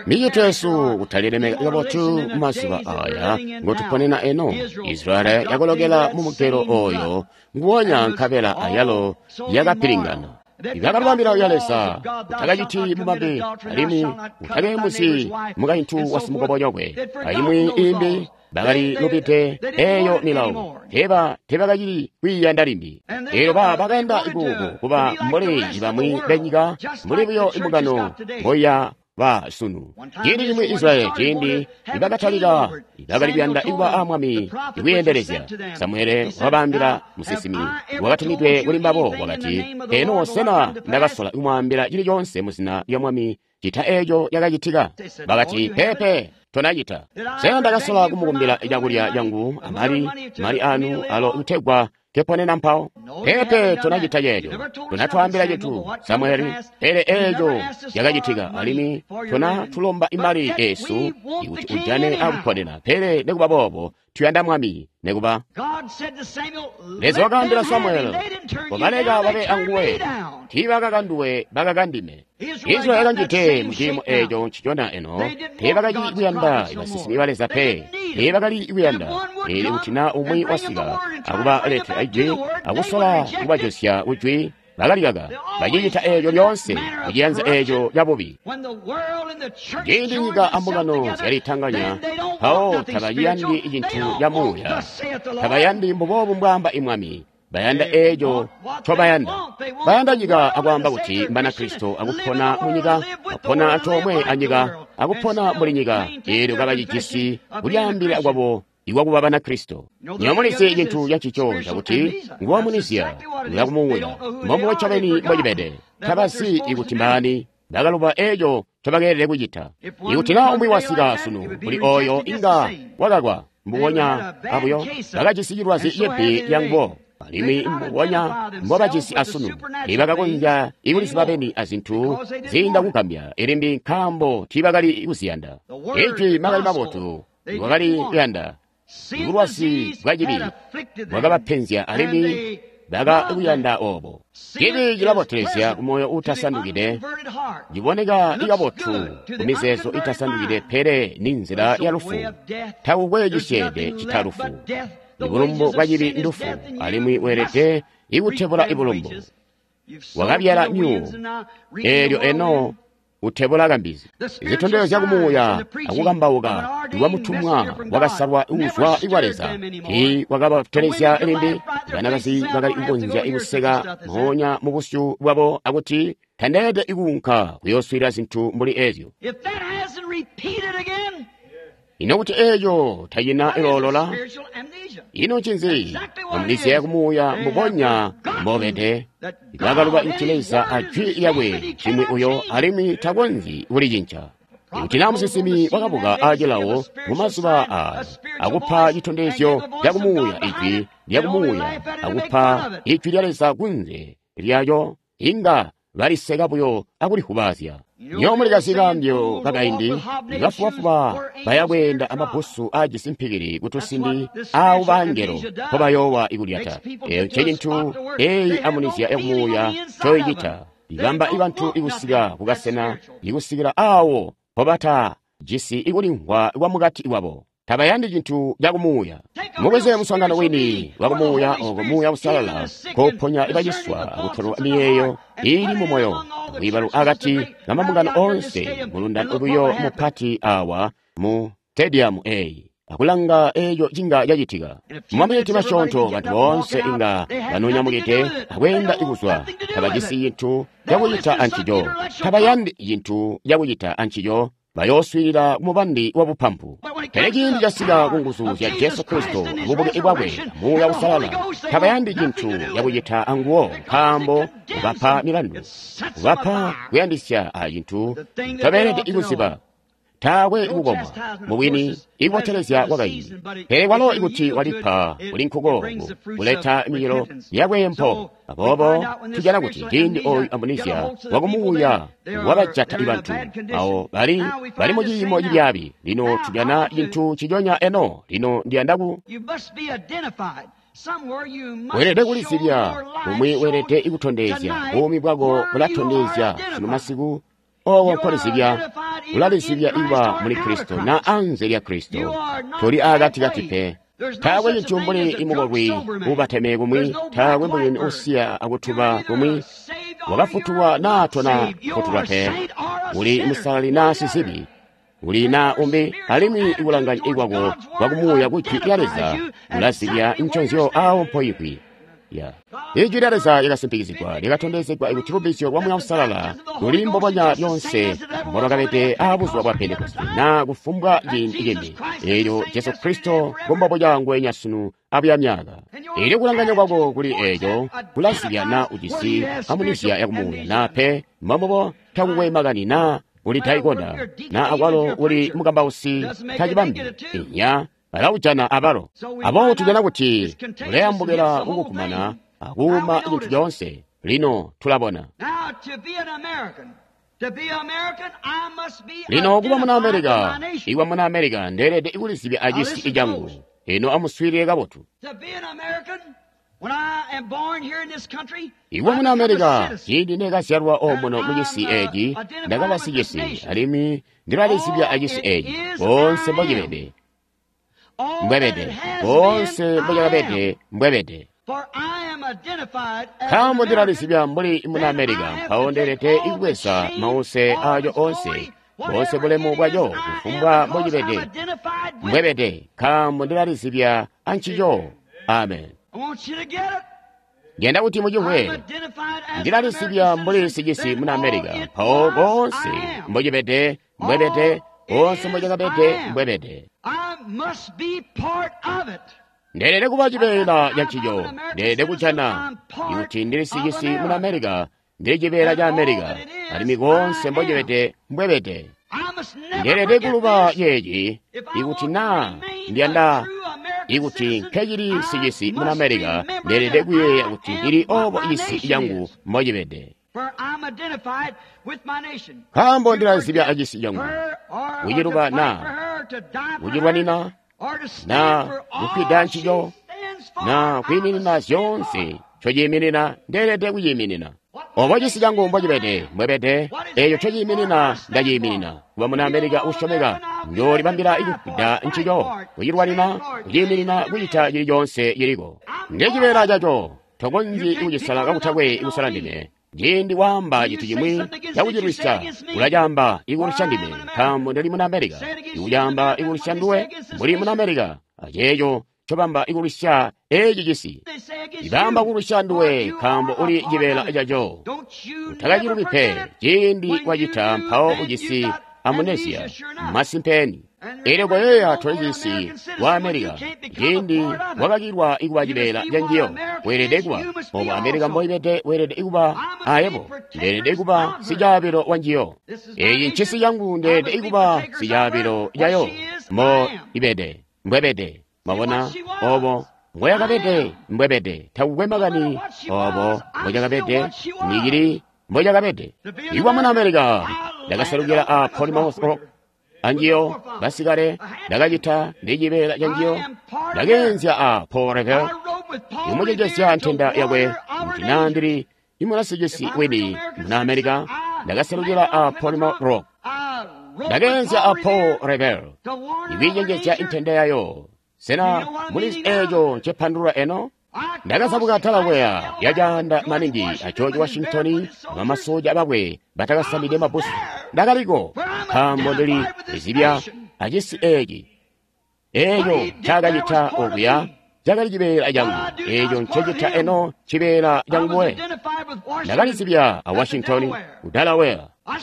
Micito yesu kutalilemeka kabotu mumazuba aya ngotuponena eno. Israeli yakolokela mumugelo oyo nguwonya nkabela ayalo yakapilingana. Ibakaluba milawo ya Leza, utakaciti bumambe, alimwi utakeemuzi mukaintu wa simukobonyokwe, alimwi imbi bakali lubide eyo milawo, teebakacili kwiiyanda limbi. Eelyo bakayanda ikuku kuba mbuli bamwi benyika, mbuli buyo imbungano mboya ba sunu. Ciindi cimwi Israyeli ciindi nibakatalika bakali kuyanda ikuba a mwami ikuyeendelezya. Samuele wakabaambila musinsimi wakatumidwe kuli mbabo wakati, eno sena ndakasola kumwaambila cili coonse muzina lya mwami cita eeco cakacitika? Bakati, peepe, tonacita. Sena ndakasola kumukumbila cakulya cangu amali mali anu alo kutegwa keponena mpawo? Peepe, tonacita ceeco. Tonatwaambila cintu, Samueli, pele eeco cakacitika, alimwi tonatulomba imali eesu ikuti ujane akuponena. Pele nikuba boobo tuyanda mwami. Nikuba Leza wakaambila Samueli, kobaleka babe anguwe, tiibakakanduwe bakakandime. Israeli yakanjide muciimo eeco ncicona eno, teebakali kuyanda basinsimi ba Leza pe, teebakali kuyanda. Eelyo kuti naa umwi wasika akubaletela ijwi akusola kubajosya kujwi, bakalikaka. Bacicita eeco lyoonse kuciyanza eeco cabubi. Ciindi nyika ambungano zyalitanganya, mpawo tabayandi cintu ca muuya, tabayandi mbuboobu mbwaamba imwami. Bayanda eeco ncobayanda. Bayanda nyika akwaamba kuti Mbanakristo akupona munyika, akupona antoomwe anyika, akupona mbuli nyika, eelyo kabacijisi kulyaambila kwabo ikwakuba Banakristo. Nyomulizi cintu cancico cakuti nguwamunizya ulakumuuya, mbombubo ncobeni mbocibede. Tabazi ikuti mbaani, bakaluba eeco ncobakeelede kucita. Ikuti naa umwi wasika sunu kuli oyo inga wakakwa, mbubonya abuyo bakajisi cilwazi cibi lyangubo, alimwi mbubonya mbobajisi asunu. Tiibakakonzya ikuliziba beni azintu ziinda kugambya ilimbi nkaambo tiibakali kuziyanda. Ijwi makani mabotu wakali kuyanda. Bulwazi bwacibi bwakabapenzya alimwi bakakuyanda oobo. Cibi cilabotelezya kumoyo uutasandukide, ciboneka ikabotu kumizeezo itasandukide, pele ni nzila ya lufu. Takukwe cisyeede cita lufu. Ibulumbu bwacibi ndufu, alimwi weelede ikutebula ibulumbu. Wakabyala myuuwo, eelyo eno utebula kambizi. Zitondezyo zyakumuuya akukambauka iwamutumwa wakasalwa uuzwa kwa Leza tiikwakabatelezya limbi. Banakazi bakali kukonzya ikuseka moonya mubusyu bwabo akuti tandeelede ikuunka kuyooswiilila zintu mbuli eezyo. Ino kuti eeco tacina iloolola? Ino ncinzi? Amulizya yakumuuya mbubonya mbobede. Bakaluba kuti Leza ajwi lyakwe cimwi uyo alimwi takonzyi kulicinca. Ikuti naa musinsimi wakabuka acilawo mumazuba aaya akupa citondezyo cakumuuya ijwi lyakumuuya akupa ijwi lya Leza kunze lyayo, inga baliseka buyo akulihubazya. Nyo mulikazi kambyo kakaindi, bafubafuba bayakweenda amabbusu aajisi mpikili kutusindi aawo bangelo mpobayoowa ikulyata. Eeyo ncecintu eeyi amunizya yakumuuya ncoicita. Ibamba ibantu ikusika kukasena ikusikila aawo mpobatajisi ikulimvwa kwamukati kwabo. Tabayandi cintu cakumuuya. Mubweze muswaangano wini wakumuuya oko Muuya Uusalala koponya ibaciswa akutolwa miyeeyo iili mumoyo akwiibalu akati kamambungano oonse mulundano buyo mupati awa mu stadium eeyi. akulanga eco cinga cacitika. Mumaminiti masyoonto bantu boonse inga banonyamukide akweenda kuzwa, tabajisi cintu cakucita ancico, tabayandi cintu cakucita ancico, bayooswiilila kumubandi wa bupampu. Pele ciindi casika ku nguzu zya Jesu Kristo, bubuke bwakwe, Muuya Uusalala, tabayandi cintu cakucita anguwo, nkaambo ubapa milandu, ubapa kuyandisya a cintu tabeelede kuziba. Taakwe kukomwa, mubwini ikubotelezya kwakaindi. Pele kwalo ikuti walipa kuli nkuko kuleta micelo yakwempo. Aboobo tujana kuti ciindi oyu amnesia wakumuuya wabajata bantu awo bali mu ciimo cibyaabi. Lino tujana cintu ciconya eno. Lino ndiyanda ku weelede kulizibya kumwi, weelede kutondezya buumi bwako bulatondezya sunu masiku. Owo nkolizibya, ulalizibya iba muli Kristo na anze lya Kristo. Toli akatikati pe. Taakwe cintu mbuli imukolwi ubateme kumwi, taakwe mbuli usiya akutuba kumwi, wakafutulwa naa tona futulwa pe. Uli musalali naa sizibi, uli naa umbi, alimwi ikulanganya ikwako kwakumuuya ku Jwi lya Leza ulazibya nconzyo awo mpoikwi. Ijwi lya Leza lyakasimpikizigwa, lyakatondezegwa kuti lubbizyo lwa Muuya Uusalala luli mbubonya lyonse mbolwakabede aabuzuba bwa Pentekoste naa kufumbwa ciindi cimbi. Eelyo Jesu Kristo ngombobuca ngweenya sunu abuya myaka. Eelyo kulanganya kwako kuli eeco kulazibya naa ujisi amunisia yakumuuya naa pe. Mbombubo takukwe makani naa uli daikona naa akwalo uli mukambausi tacibambi inya balawujana abalo. Aboobo tujana kuti ulayambukila kukukumana akuuma cintu coonse. Lino tulabona. Lino kuba muna Amerika, iwa muna Amerika ndeelede kulizibya acisi cangu. Ino amuswiilile kabotu. Iwa muna Amerika, ciindi nekazyalwa omuno mucisi eeci, ndakaba sicisi, alimwi ndilalizibya acisi eeci. Boonse mbocibede mbwebede, boonse mbocakabede mbwebede. Nkaambo ndilalizibya mbuli muna Amerika, mpawo ndeelede kubweza mause aco onse, boonse bulemu bwaco, kufumbwa mbocibede mbwebede, nkaambo ndilalizibya ancico. Amen. Ndiyanda kuti mucimvwe. Ndilalizibya mbuli sicisi muna Amerika, mpawo boonse mbocibede mbwebede, boonse mbocakabede mbwebede. Ndeelede kuba cibeela ca ncico. Ndeelede kujana kuti ndili sicisi muna Amerika, ndili cibeela ca Amerika, alimwi koonse mbocibede mbwebede. Ndeelede kuluba ceeci ikuti naa ndiyanda ikuti nkecili sicisi muna Amerika, ndeelede kuyeeya kuti ndili obo cisi cangu mbocibede. Nkaambo ndilalizibya acisi cangu, kuciluba naa kucilwanina naa kufwida ncico naa kwiiminina zyoonse ncociiminina, ndeelede kuciiminina. Obo cisi cangu mbocibede mbwebede, eeco ncociiminina ndaciiminina. Kuba muna Amerika uusyomeka, njoolibambila kufwida ncico, kucilwanina, kuciiminina, kucita cili coonse ciliko. Ndecibeela caco, tokonzyi kucisala kakutakwe kusala ndime. Ciindi waamba cintu cimwi cakucilwisya, ulacaamba ikulwisya ndime, nkaambo ndili muna Amerika. Ikucaamba ikulwisya nduwe, mbuli muna Amerika, aceeco ncobamba ikulwisya eeci cisi. Ibaamba kulwisya nduwe, nkaambo uli cibeela caco. Utakacilubi pe, ciindi wacita mpawo ujisi amnesia, masimpeni. Eelyo koyeeya toli cisi wa Amerika, ciindi wakakilwa ikuba cibeela ca njiyo, weelede kuba obo Amerika mboibede, weelede kuba ayebo, ndeelede kuba sicaabilo wa njiyo. Eeci ncisi cangu, ndeelede kuba sicaabilo cayo. Mbo ibede mbwebede, mwabona obo mbweyakabede mbwebede, takukwe makani obo mbwecakabede, nicili mbwecakabede. Ikuba muna Amerika, ndakaselukila a Plymouth Rock anjiyo basikale, ndakacita ndi cibeela ca njiyo, ndakeenzya a Paul Revere, imucenjezya ntenda yakwe kuti naa ndili imunasicisi wini muna Amerika, ndakaselukila a Plymouth Rock, ndakeenzya a Paul Revere, ikwiicenjezya intenda yayo. Sena mulizi eeco ncepandulula eno? Ndakazabuka Delaware yacaanda maningi a George Washington abamasoja bakwe batakasamide mabbusu. Ndakaliko nkaambo ndili lizibya acisi eeci. Eeco ncaakacita okuya cakali cibeela cangu. Eeco ncecita eno cibeela canguwe. Ndakalizibya a Washington ku Delaware.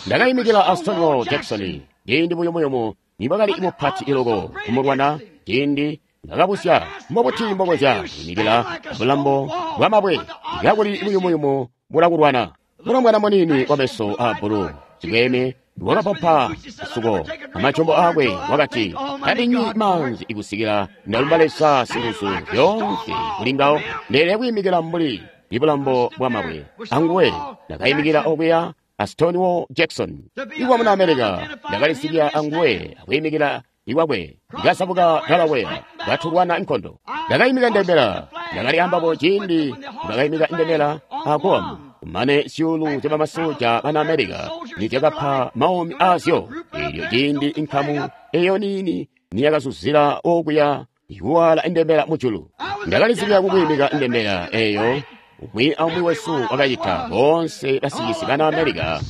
Ndakaimikila a Stonewall Jackson ciindi buyumuyumu nibwakali mupati iloko kumulwana, ciindi ndakabusya mbobuti mbokonzya kwiimikila bulambo bwamabwe kakuli buyumuyumu bulakulwana. Mulombwana muniini wameso aabbulu sikweeme wakapapa suko amajombo aakwe wakati, tandinywi maanzi ikusikila ndalumba Leza singuzu zyoonse kuli ngawo. Ndeelede kwiimikila mbuli ibulambo bwamabwe anguwe. Ndakaimikila okuya a Stonewall Jackson iwa muna America. Ndakalisibya anguwe akwiimikila iwakwe. Ndakasabuka Delaware katulwana nkondo. Ndakaimika ndembela. Ndakali ambabo ciindi ndakaimika ndembela a Guam. Kumane zyuulu zya bamasoja bana America nizyakapa maumi aazyo. Eelyo ciindi inkamu eyo niini niyakazuzila okuya ikuwala indembela mujulu. Ndakalizibya kukwiimika indembela eyo. Umwi aumwi wesu wakacita. Boonse basicisi bana America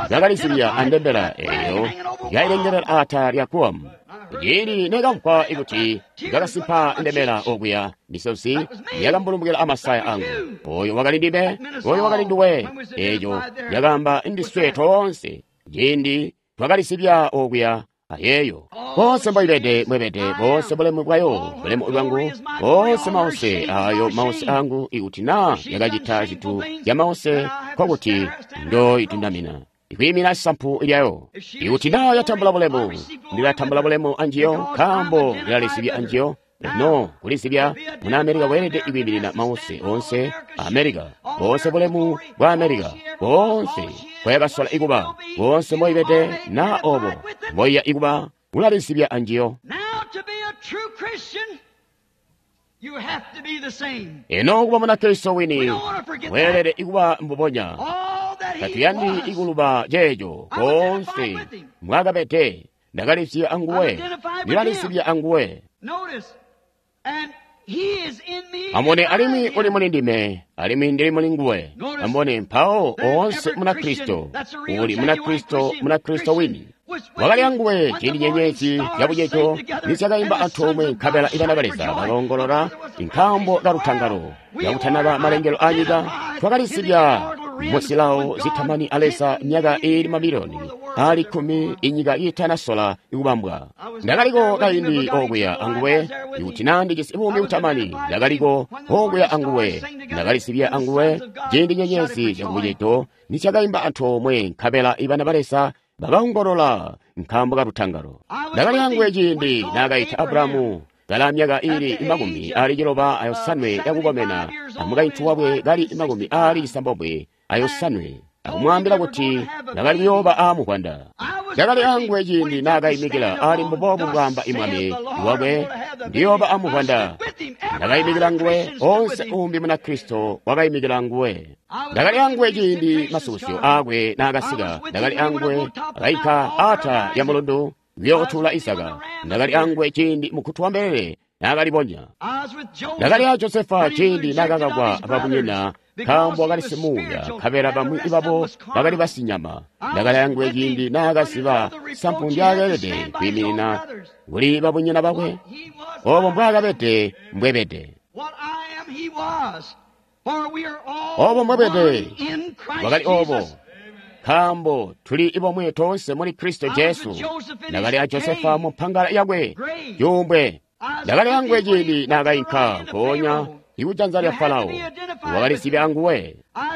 bakalizibya andembela eyo yailengelela atala lya Guam. Ciindi nekamvwa kuti ndakasimpa ndembela okuya, misozi yakambulumbukila amasaya angu. Oyo wakali ndime, oyo wakali nduwe. Eeco yakaamba ndiswe toonse ciindi twakalisibya okuya ayeeyo. Boonse mboibede mbwebede, boonse bulemu bwayo bulemu bwangu, boonse mause ayo mause angu. Ikuti naa yakacita zintu zya mause, nkokuti ndoitundamina ikwiimina sampu lyayo. Ikuti naa yatambula bulemu, ndilatambula bulemu anjiyo, nkaambo ndilalisibya anjiyo. No kulisibya muna Amerika weelede ikwiiminina mause onse Amerika, boonse bulemu bwa Amerika, boonse bwayakasola ikuba, boonse mboibede naa obo mboiya ikuba, ulalisibya anjiyo. Eno kuba Munakristo wini weelede ikuba mbubonya. Tatuyandi ikuluba ceeco boonse mwakabede. Ndakalisibya anguwe, ndilalisibya anguwe. Amone alimwi uli muli ndime, alimwi ndili muli nguwe. Amone mpawo oonse Munakristo uli Munakristo, Munakristo wini wakali anguwe ciindi nyenyezi zyabucejo nizyakaimba antoomwe, nkabela ibana ba Leza baloongolola nkaambo kalutangalo. Kakutanaba malengelo anyika, twakalisibya muzilawo zitamani a Leza myaka iili mamiliyoni aali 10 inyika iitanasola ikubambwa. Ndakaliko kaindi okuya anguwe. Ikuti naa ndijisi buumi butamani, ndakaliko okuya anguwe. Ndakalisibya anguwe ciindi nyenyezi zyakubucedo nizyakaimba antoomwe, nkabela ibana ba Leza bakaongolola nkaambo kalutangalo. Ndakali anguwe ciindi naakaita Abrahamu kala myaka iili 95 yakukomena, amukaintu wakwe kali 96, akumwaambila kuti ndakali kuyooba aamuvwanda. Ndakali anguwe ciindi naakaimikila ali mbubobu bwaamba imwami wakwe, ndiyooba amuvwanda. Ndakaimikila nguwe, onse umbi Munakristo wakaimikila nguwe. Ndakali anguwe ciindi masukusyo aakwe naakasika. Ndakali anguwe akaika ata lya mulundu kuyootula Isaka. Ndakali anguwe ciindi mukkutu wa mbelele naakalibonya. Ndakali a Josefa ciindi naakakakwa ababunyina nkaambo wakali simuuya, nkabela bamwi babo bakali basinyama. Ndakali anguwe ciindi naakaziba sampu ndyaakeelede kwiiminina kuli babunyina bakwe. Obo mbwaakabede mbwebede. Obo mbwebede wakali obo, nkaambo tuli bomwe toonse muli Kristo Jesu. Ndakali a Josefa mu mpangala yakwe yumbwe. Ndakali anguwe ciindi naakainka nkoonya ikujanza lya Farao, wakalisibya anguwe.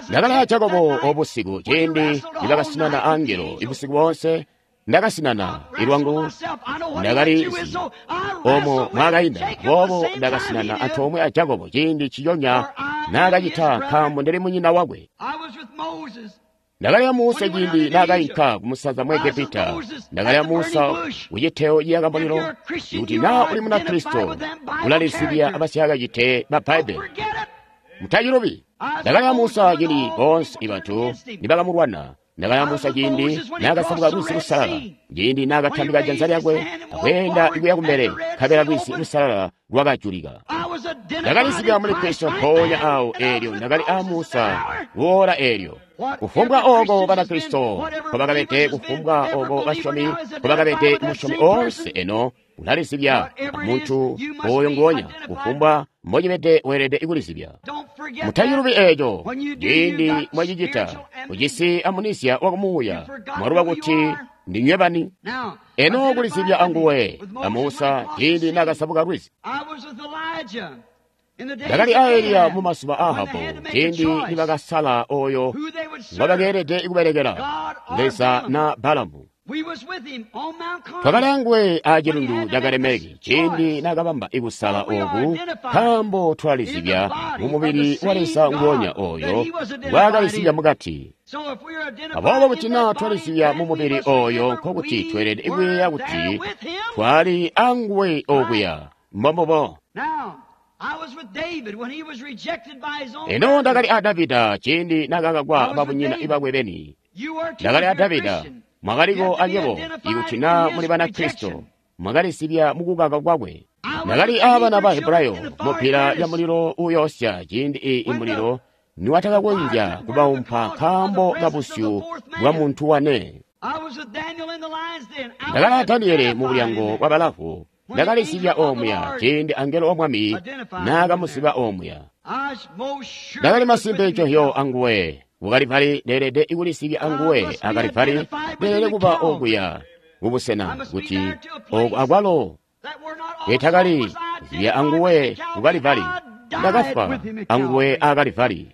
Ndakali a Jakobo obusiku ciindi nibakasinana angelo ibusiku boonse. Ndakasinana ilwangu, ndakali omo mwakainda. Boobo ndakasinana antoomwe a Jakobo ciindi ciyonya naakacita, nkaambo ndili munyina wakwe. Ndakali a Musa ciindi naakainka kumusanza mu Egepita. Ndakali a Musa kuciteo ciyaka mulilo. Kuti naa uli Munakristo, ulalisibya abasyakacite ba Bbaibbele. Mutacilubi. Ndakali a Musa ciindi boonse bantu nibakamulwana. Ndakali a Musa ciindi naakasabuka Lwizi Lusalala, ciindi naakatambika janza lyakwe akweenda ikuya kumbele, nkabela Lwizi Lusalala lwakajulika. Ndakalisibya muli Kristo mpoonya awo eelyo. Ndakali a Musa kuola eelyo. Kufumbwa oko Banakristo nkobakabede, kufumbwa oko basyomi nkobakabede, musyomi oonse eno Ulalisibya muntu oyo nguonya, kufumbwa mbocibede weelede kulisibya. Mutacilubi eeco. Ciindi mwacicita, ujisi amunisia wakumuuya, mwaluba kuti ndinywe bani. Eno kulisibya anguwe a Musa ciindi naakasabuka lwizi. Ndakali a Eliya mu mazuba a Ahabu ciindi nibakasala oyo ngwabakeelede kubelekela, Leza na Balamu. Twakali anguwe a cilundu ca Karimeli ciindi naakabamba kusala ooku, nkaambo twalisibya mumubili wa Leza nguonya oyo ngwaakalisibya mukati. Aboobo kuti naa twalisibya mumubili oyo, nkokuti tweelede kuyeeya kuti twali anguwe okuya. Mbombubo. Eno ndakali a Davida ciindi naakakakwa babunyina bakwe beni. Ndakali a Davida. Mwakaliko anywebo ikuti naa muli Banakristo, mwakalisibya mukukaka kwakwe. Ndakali aabana ba Hebrayo mupila lya mulilo uyoosya ciindi imulilo niwatakakonzya kubaumpa nkaambo kabusyu bwa muntu wane. Ndakali a Daniele mu bulyango bwa balavu. Ndakalisibya omuya ciindi angelo wa Mwami naakamusiba omuya. Ndakali masimpe ncohyo anguwe. Kukalipali leelede kulisibya anguwe, akalipali leelede kuba okuya kubusena kuti oku akwalo etakali zibya anguwe kukalipali. Ndakafwa anguwe akalipali.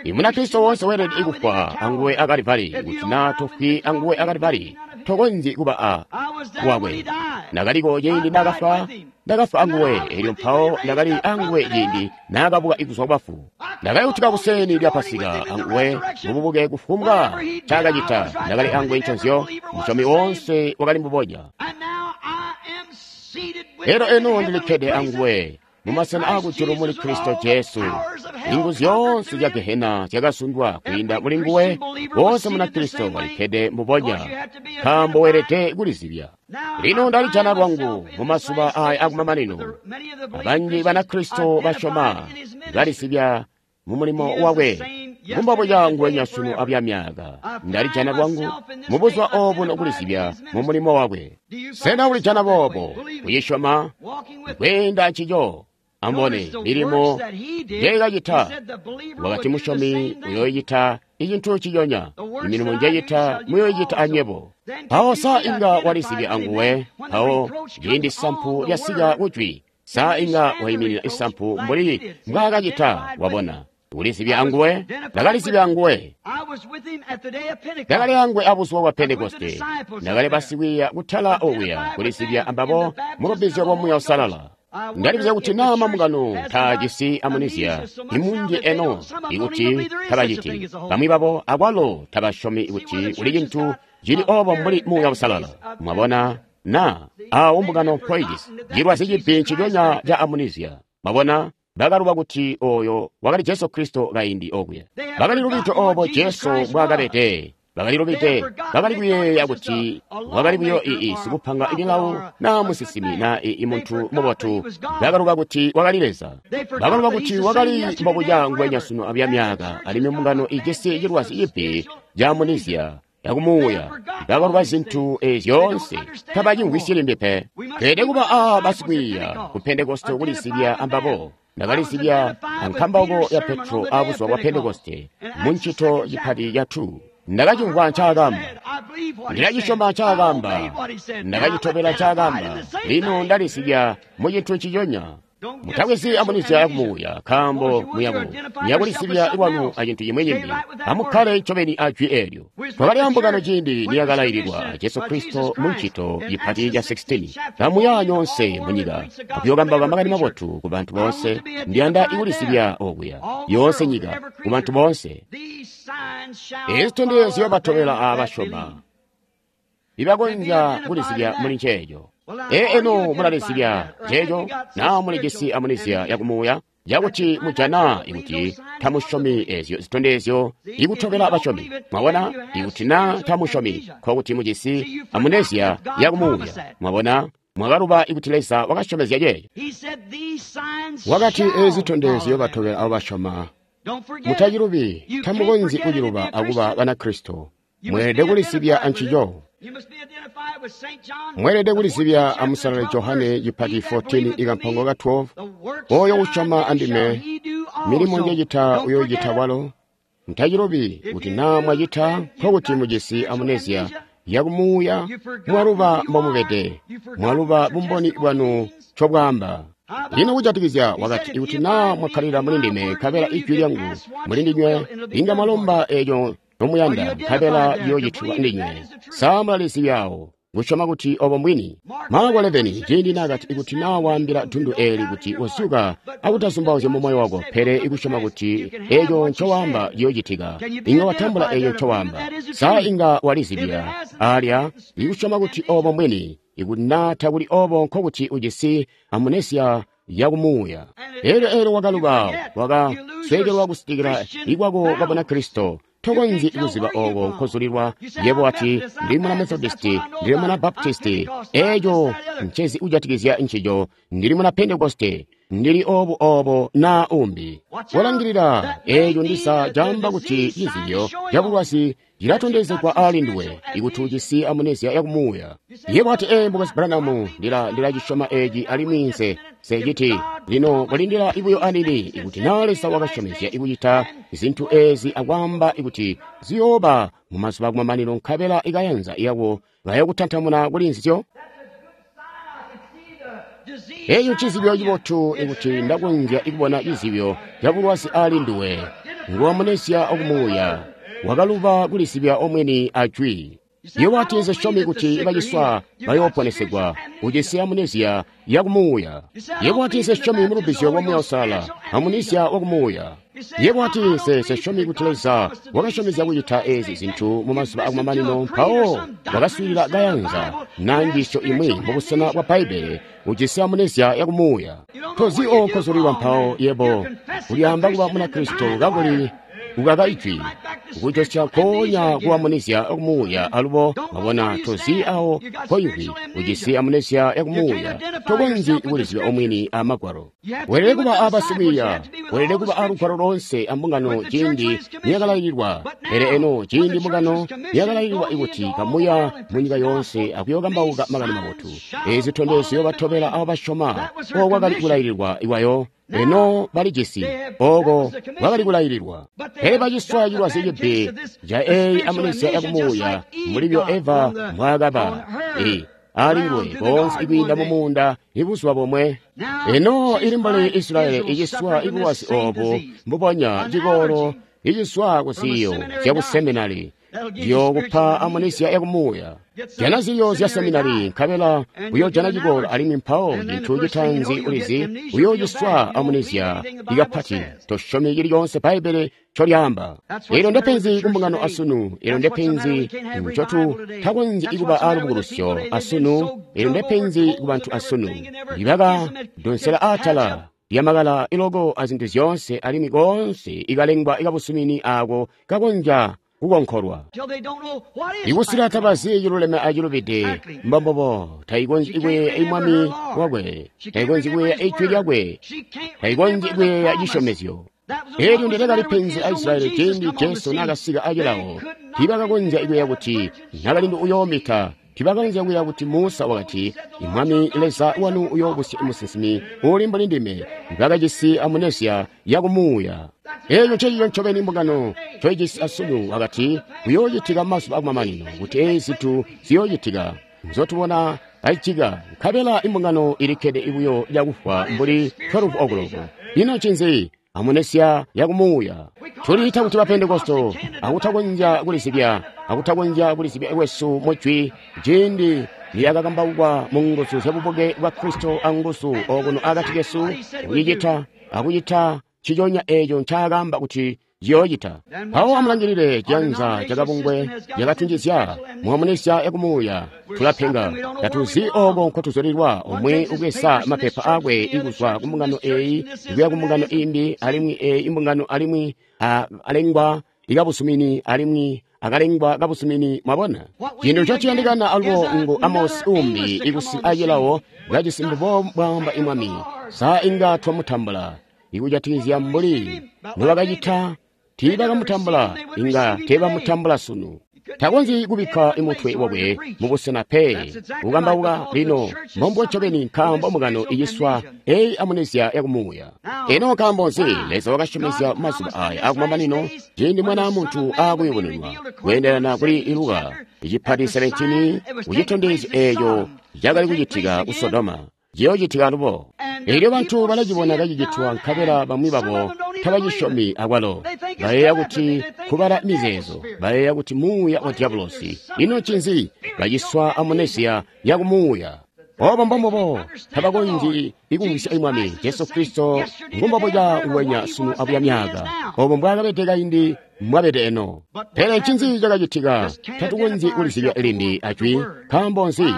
Imunakristo woonse weelede kufwa anguwe akalipali. Kuti naa tofwi anguwe akalipali, tokonzyi kuba a wakwe. Ndakaliko ciindi naakafwa, ndakafwa anguwe, elyo mpawo ndakali anguwe ciindi naakabuka kuzwa kubafu. Ndakayutuka kuseni lya Pasika anguwe mububuke kufumbwa ncaakacita. Ndakali anguwe nconzyo, musyomi woonse wakali mbubonya. Elyo eno ndilikkede anguwe mumasena aakujulu muli Kristo Jesu. Inguzu zyoonse zya Gehena zyakazundwa kwiinda muli nguwe. Woonse Munakristo walikkede mbubonya, nkaambo weelede kulizibya. Lino ndalijana lwangu mumazuba aya akumamanino. Abanji Banakristo basyoma balisibya mumulimo wakwe. Mumbobuca nguwenya sunu abyamyaka. Ndalijana lwangu mubuzuba obuno kulisibya mumulimo wakwe. Sena ulijana boobo kuyisyoma kweenda ncico? Ambone milimo njekacita. Wakati musyomi uyoyicita icintu ciyonya, imilimo njecita muyoyicita anywebo. Mpawo sa inga walisibya anguwe? Mpawo ciindi sampu lyasika kujwi, sa inga waiminina isampu mbuli mbwaakacita? Wabona, ulisibya anguwe. Ndakalisibya anguwe. Ndakali anguwe abuzuba bwa Pentekoste. Ndakali basikwiiya kutala okuya kulisibya ambabo mulubbizyo lwa Muuya Uusalala. Ndalibuzya kuti naa mambungano taajisi amunisia imunji eno ikuti tabaciti. Bamwi babo akwalo tabasyomi kuti kuli cintu cili obo mbuli Muuya Uusalala. Mwabona na awo mbungano mpoijisi cilwazi cibi nciconya ca amunisia. Mwabona, bakaluba kuti oyo wakali Jesu Kristo kaindi okuya. Bakali lubide obo Jesu mbwaakabede. Bakali lubide, bakali kuyeeya kuti wakali buyo sikupanga milawo naa musinsimi naa muntu mubotu. Bakaluba kuti wakali Leza. Bakaluba kuti wakali mbobuca nguwenya sunu abyamyaka, alimwi mbungano ijisi cilwazi cibi ca amunisia yakumuuya. Bakaluba zintu zyoonse, tabacimvwisyi limbi pe. Tweelede kuba a basikwiiya ku Pentekoste kulisibya ambabo. Ndakalisibya ankambauko ya Petro abuzuba bwa Pentekoste mu ncito cipati ca 2. Ndakacimvwa ncaakamba, ndilacisyoma ncaakamba, ndakacitobela ncaakamba. Lino ndalisibya mu cintu nciconya. Mutakwezi amunisia yakumuuya, nkaambo muyakulisibya lwanu acintu cimwi cimbi. Amukkale ncobeni ajwi eelyo. Twakali ambungano ciindi niyakalaililwa Jesu Kristo mu ncito cipati ca 16. Kamuya nyoonse munyika akuyookambauka makani mabotu ku bantu boonse. Ndiyanda ikulisibya okuya yoonse nyika ku bantu boonse. Eezi zitondezyo batobela abasyoma ibakonzya kulisibya muli nceeco. Eno mulalisibya nceeco naa mulijisi amunisia yakumuuya yakuti mujana ikuti tamusyomi eezyo zitondezyo ikutobela basyomi. Mwabona, ikuti naa tamusyomi, nkokuti mujisi amunisia yakumuuya. Mwabona, mwakaluba ikuti Leza wakasyomezya ceeco. Wakati eezi zitondezyo batobela abo basyoma. Mutacilubi, tamukonzyi kuciluba akuba Banakristo. Mweelede kulisibya ancico. Mweelede kulizibya amusalale Johane cipati 14 ikampango ka 12. Oyo usyoma andime, milimo njecita uyoocita walo. Ntacilubi kuti naa mwacita nkokuti mujisi amuneziya yakumuuya, mwaluba mbomubede, mwaluba bumboni bwanu ncobwaamba. Lino kujatikizya wakati, ikuti naa mwakkalila muli ndime nkabela ijwi lyangu muli ndinywe, inga mwalomba eeco nomuyanda nkabela liyoocitilwa ndinywe. Sa mulalizibyawo kusyoma kuti obo mbwini? Marko 11, ciindi naakati, ikuti naa waambila dundu eeli kuti uzuka akutazumbauzya mu moyo wako, pele ikusyoma kuti eeco ncowaamba ciyoocitika, inga watambula eeco ncowaamba. Sa inga walizibya alya ikusyoma kuti obo mbwini? Ikuti naa takuli obo, nkokuti ujisi amunesia yakumuuya. Elyo wakaluba, wakasweekelwa kusitikila ikwako kwa Bunakristo. Tokonzyi kuziba oko nkozulilwa. Yebo wati, ndili muna Methodisti, ndili muna Baptisti, eeco ncezi kujatikizya ncico, ndili muna Pentekoste, ndili obu obo naa umbi. Kolangilila, eeco ndisa caamba kuti cizibyo cabulwazi cilatondezegwa ali nduwe, ikuti ujisi amunesia yakumuuya. Yebo wati, ee, Mukwesu Branham, ndilacisyoma eeci alimwi nse citi. Lino kulindila buyo anini, ikuti naa Leza wakasyomezya ikucita zintu eezi akwaamba ikuti ziyooba mu mazuba akumamanino, nkabela ikayanza yako bayokutantamuna kuli nzizyo. Eeco ncizibyo cibotu ikuti ndakonzya kubona cizibyo cabulwazi ali nduwe. Nguwamunesia okumuuya, wakaluba kulisibya omwini ajwi. Yebo wati, nse kuti baciswa bayooponesegwa, ujisi amunesia yakumuuya. Yebo wati, nse mu lubbizyo lwa Muuya Uusalala, amunesia wakumuuya. Yebo wati, nse kuti Leza wakasyomezya kucita eezi zintu mu mazuba akumamanino, mpawo wakaswiilila kayanza naa njiisyo imwi mubusena bwa Bbaibbele, ujisi amunesia yakumuuya. Tozi oko nkozulilwa mpawo yebo ulyaamba kuba Munakristo kakuli ukaka ijwi, kujosya nkoonya kuamunisia yakumuuya. Alubo wabona tozi awo koimvwi, ujisi amunesia yakumuuya, tokonzyi kuliziba omwini a Magwalo. Weelede kuba abasikwiiya, weelede kuba alugwalo lonse ambungano ciindi niyakalaililwa. Pele eno ciindi mbungano niyakalaililwa ikuti kamuya munyika yoonse akuyookambauka makani mabotu, eezi zitondezyo ziyobatobela abo basyoma, oko kwakali kulaililwa iwayo. Eno balijisi, oko kwakali kulaililwa. Pele baciswa cilwazi cibbi ca eyi amunesia yakumuuya mulibyo Eva mbwaakaba ali nguwe konse ikwiinda mumuunda ibuzuba bomwe. Eno ili mbuli Israeli iciswa ibulwazi obu mbubonya, cikolo iciswa kuziyo zyakuseminari ziyokupa amunisia yakumuuya. Jana ziyo zya seminari nkabela uyoojana cikolo, alimwi mpawo cintu citaanzi ulizi uyoociswa amunisia ikapati. Tosyomi cili coonse Bbaibbele ncolyaamba. Eelyo ndepenzi kumbungano asunu. Eelyo ndepenzi ncotu takonzyi kuba alubukulusyo asunu. Eelyo ndepenzi kubantu asunu. Ibakadonsela atala lyamakala iloko azintu zyoonse, alimwi koonse ikalengwa ikabusumini aako kakonzya kukonkolwa. Ikusila tabazi ciluleme acilubide, mbombobo taikonzyi kuyeeya imwami wakwe, taikonzyi kuyeeya ijwi lyakwe, taikonzyi kuyeeya cisyomezyo. Eelyo ndilekali penzi a Israeli ciindi Jesu naakasika acilawo. Tiibakakonzya kuyeeya kuti nakalindu uyoomita. Tiibakakonzya kuyeeya kuti Musa wakati, Mwami Leza wanu uyoobusya musinsimi uuli mbuli ndime. Bakajisi amunesia yakumuuya. Eeco ncecico ncobeni mbungano ncoijisi asunu. Wakati kuyoocitika mazuba akumamanino kuti eezi zintu ziyoocitika nzotubona kazicitika, nkabela imbungano ilikkede buyo cakufwa mbuli 12 o'clock. Ino ncinzi? Amunesia yakumuuya. Tuliita kuti Bapentekosto akutakonzya kulizibya, akutakonzya kulizibya kwesu mujwi ciindi niyakakambaukwa mu nguzu zyabubuke bwa Kristo anguzu okuno akati kesu, kucicita akucita ciconya eeco ncaakaamba kuti ciyoocita. Mpawo amulangilile ciyanza cakabungwe cakatunjizya muamunisia yakumuuya. Tulapenga, tatuzi oko nkotuzulilwa. Umwi ubweza mapepa akwe ikuzwa kumbungano eeyi kuya kumbungano imbi, alimwi eeyi imbungano, alimwi alengwa ikabusumini, alimwi akalengwa kabusumini. Mwabona cintu ncociyandikana alubo ngu Amosi umbi ikusi acilawo kajisi mbubo bwaamba imwami. Sa inga twamutambula ikujatikizya mbuli nobakacita? Tiibakamutambula, inga teebamutambula sunu. Takonzyi kubikka mutwe wakwe mubusena pe kukambauka lino mbombo ncobeni nkaambo mbungano iciswa eyi amunezya yakumuuya. Ino nkaambo nzi Leza wakasyomezya mazuba aya akumamanino ciindi Mwana wa Muntu aakuyubununwa kweendelana kuli Luka icipati 17 kucitondezyo eeco cakali kucitika ku Sodoma ciyoocitika alubo. Elyo bantu balacibona kacicitwa nkabela bamwi babo tabacisyomi akwalo. Bayeeya kuti kubala mizeezo, bayeeya kuti muuya wa diabolosi. Ino ncinzi? Baciswa amunesiya yakumuuya. Obo mbombubo tabakonzyi ikumvwisya Mwami Jesu Kristo ngumbobuca nguwenya sunu abuya myaaka. Obo mbwaakabede kaindi mbwabede eno. Pele ncinzi cakacitika? Tatukonzyi kulizibya limbi ajwi. Nkaambo nzi?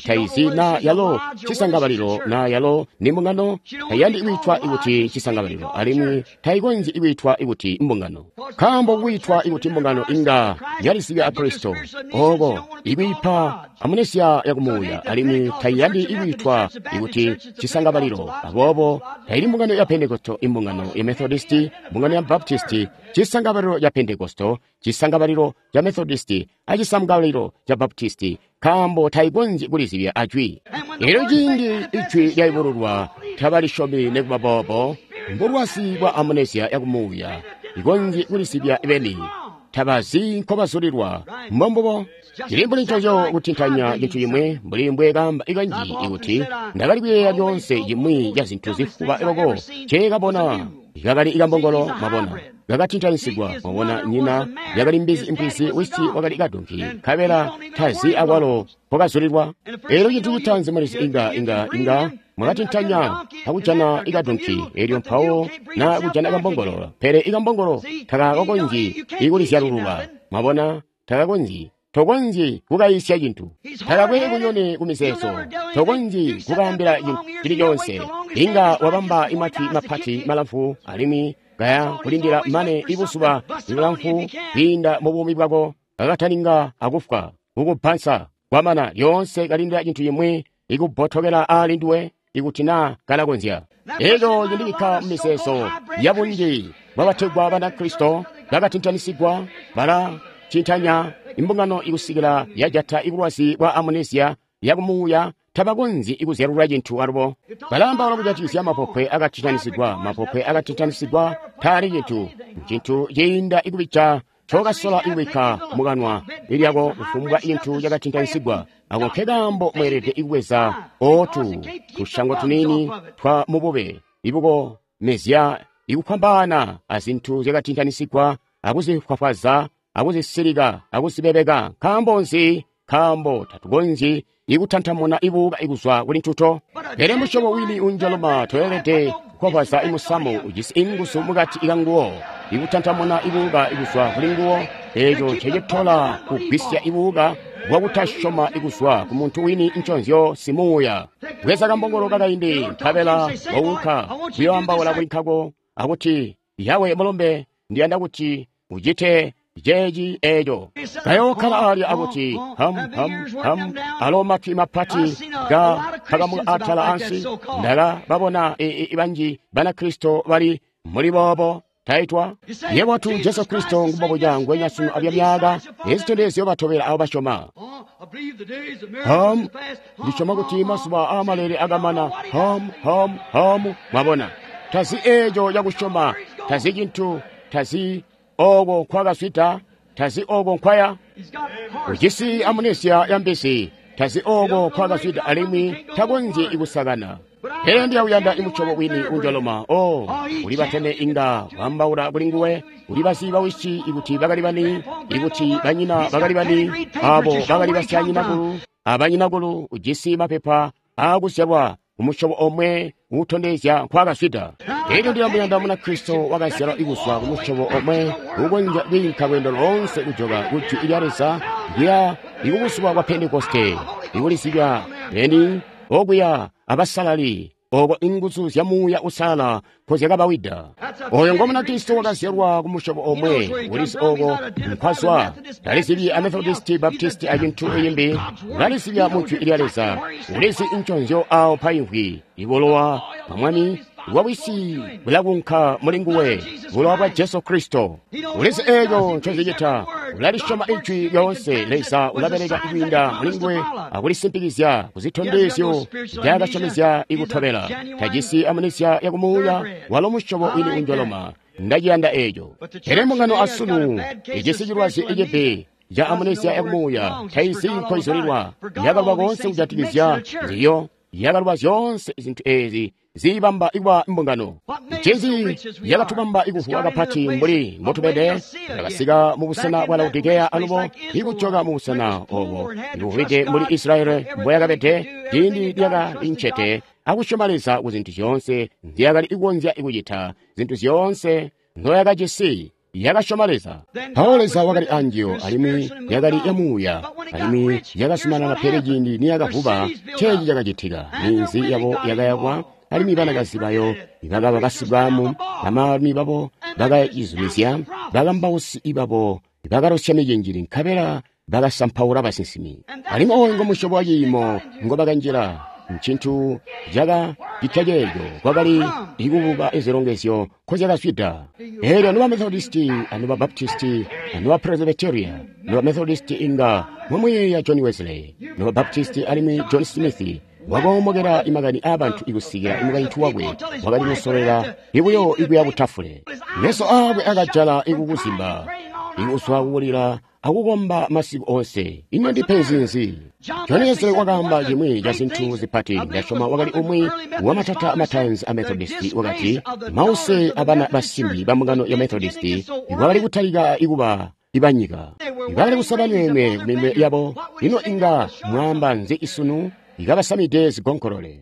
Taizi na yalo cisangabalilo na yalo ni mbungano. Taiyandi kwiitwa ikuti cisangabalilo alimwi taikonzyi kwiitwa ikuti mbungano. Nkaambo kwiitwa ikuti mbungano inga yalizibya a Kristo. Oko ikwiipa amunesiya yakumuuya alimwi taiyandi ikwiitwa ikuti cisangabalilo. Aboobo taili mbungano ya Pentekosto, imbungano ya Methodisti, mbungano ya Baptisti, cisangabalilo ya Pentekosto, cisangabalilo ca Methodisti, acisangabalilo ca Baptisti, nkaambo taikonzyi kulizibya ajwi. Elyo ciindi ijwi lyayubululwa tabalisyomi nikuba boobo, mbulwazi bwa amunesiya yakumuuya ikonzyi kulizibya beni. Tabazi nkobazulilwa. Mbombubo cili mbuli ncoco kutintanya cintu cimwi mbuli mbwe kaamba ikanji ikuti ndakali kuyeeya lyoonse cimwi ca zintu zifuba loko nceekabona kakali kambongolo mwabona kakatintanyisigwa mwabona nyina yakali mbizi impwizi wisi wakali kadonki nkabela tazi akwalo nkokazulilwa. Elyo cintu citaanzi mulizi inga mwakatintanya akujana ikadonki elyo mpawo na kujana kambongolo, pele ikambongolo takakonzyi ikulizyalulula mwabona takakonzyi. Tokonzyi kukayisya cintu, takakwe kunyone kumizeezo, tokonzyi kukaambila cintu cili coonse. Inga wabamba imatwi mapati malamfu alimwi kaya kulindila mane ibuzuba bulamfu kwiinda mubuumi bwako kakataninga akufwa kukubbansa kwamana lyoonse kalindila cintu cimwi ikubbotokela aali nduwe ikuti naa kalakonzya. Eco cindibikka mumizeezo yabunji bwabategwa Banakristo bakatintanisigwa balatintanya imbungano ikusikila yajata ibulwazi bwa amunesiya yakumuuya tabakonzyi ikuzyalulula cintu alubo. Balaambaula kujatikizya mapopwe akatintanisigwa, mapopwe akatintanisigwa taali cintu, ncintu ciinda ikubija ncokasola ikubikka mukanwa lyako kufumbwa cintu cakatintanisigwa. Ako nkekaambo mweelede ikubweza ootu tushango tuniini twa mubube ibukomezya ikufwambaana azintu zyakatintanisigwa akuzifwafwaza akuzisilika akuzibebeka. Nkaambo nzi? Nkaambo tatukonzyi ikutantamuna ibuuka ikuzwa kuli ntuto. Pele musyobo wini unjaloma toyelede kufwafwaza imusamu ujisi inguzu mukati kanguwo ikutantamuna ibuuka ikuzwa kuli nguwo. Eeco ncecitola kugwisya ibuuka bwakutasyoma ikuzwa ku muntu wini nconzyo simuuya. Bweza kambongolo kakaindi nkabela waunka kuyoambaula kuli nkako akuti, yawe mulombe, ndiyanda kuti ucite ceeci eeco. Kayookkala alya akuti ham ham ham, alo matwi mapati ga pakamuka atala ansi. Ndakababona banji Banakristo bali muli boobo taitwa yebo tu Jesu Kristo ngumbobuca ngwenya sunu abya myaka ezitondezyo batobela abo basyoma. Ham, ndisyoma kuti mazuba aamalele akamana. Ham ham ham, mwabona tazi eeco cakusyoma, tazi cintu, tazi oko nkwakazwida, tazi oko nkwaya. Ujisi amunesiya yambisi, tazi oko nkwakazwida alimwi takonzyi ikusakana. Pele ndiyawuyanda imusyobo wini unjoloma. O ulibatene inga wambaula kuli nguwe, ulibazi bawisi ikuti bakali bani, ikuti banyina bakali bani, abo bakali basyanyinakulu abanyinakulu. Ujisi mapepa aakuzyalwa umusyobo omwe uutondezya nkwakazwida. Elyo ndilamuyanda Munakristo wakazyalwa ikuzwa kumusyobo omwe ukonzya kwiinka lweendo loonse kujoka kujwi lya Leza kuya ikubuzuba bwa Pentekoste ikulizibya beni okuya abasalali oko inguzu zya Muuya Uusalala nkozyakabawida. Oyo ngo Munakristo wakazyalwa kumusyobo omwe ulizi oko nkwazwa. Talizibyi a Methodisti, Baptisti acintu iyimbi, ulalizibya mu Jwi lya Leza. Ulizi nconzyo awo paimvwi ibulowa bwa Mwami bwawisi bulakunka muli nguwe, bulowa bwa Jesu Kristo. Ulizi eeco ncozicita. Ulalisyoma Ijwi lyoonse. Leza ulabeleka kwiinda mulinguwe akulisimpikizya kuzitondezyo nzyaakasyomezya ikutobela. Tajisi amunisia yakumuuya, walo musyobo wini unjoloma. Ndaciyanda eeco. Pele mbungano asunu ijisi cilwazi icibi ca amunisia yakumuuya, taizi nkoizulilwa. Yakaluba koonse kujatikizya nziyo, yakaluba zyoonse zintu eezi ziibamba ikuba mbungano. Ncinzi yakatubamba ikuvuwa kapati mbuli mbotubede? Yakasika mu busena bwa Laodikeya alubo ikujoka mu busena obo ikuvwide mbuli Israeli mboyakabede ciindi lyakali ncete akusyoma Leza ku zintu zyoonse nzyakali kukonzya kucita, zintu zyoonse nzoyakajisi. Yakasyoma Leza. Mpawo Leza wakali anjiyo, alimwi yakali ya muuya, alimwi yakazumanana. Pele ciindi niyakavuba, ceeci cakacitika. Minzi yabo yakayakwa, alimwi banakazi bayo bakaba basibwamu, bamaalumi babo bakayizumizya, bakambausi babo bakalosya micinjili, nkabela bakasampaula basinsimi. Alimwi ooyu ngo musyobo wa ciimo ngobakanjila. Ncintu cakacitya ceeco kwakali ikubuka izilongezyo nkozyakazwida. Eelyo nuba Methodisti anuba Baptisti anuba Presbyteria, nuba Methodisti inga mwamuyeeya John Wesley, nuba Baptisti alimwi John Smith wakoomokela imakani aabantu ikusikila imukaintu wakwe wakali kusololela ibuyo ikuya kutafule. Meso aakwe akajala ikukuzimba, ikuzwa kukulila akukomba masiku onse. Ino ndipenzi nzi? John Wesley wakaamba cimwi ca zintu zipati. Ndasyoma wakali umwi wamatata mataanzi a Methodisti. Wakati mause abana basimbi ba mbungano ya Methodisti bakali kutalika ikuba ibanyika, bakali kusaba nweenwe kuminwe yabo. Ino inga mwaamba nzi isunu? Ikabasamide zigonkolole.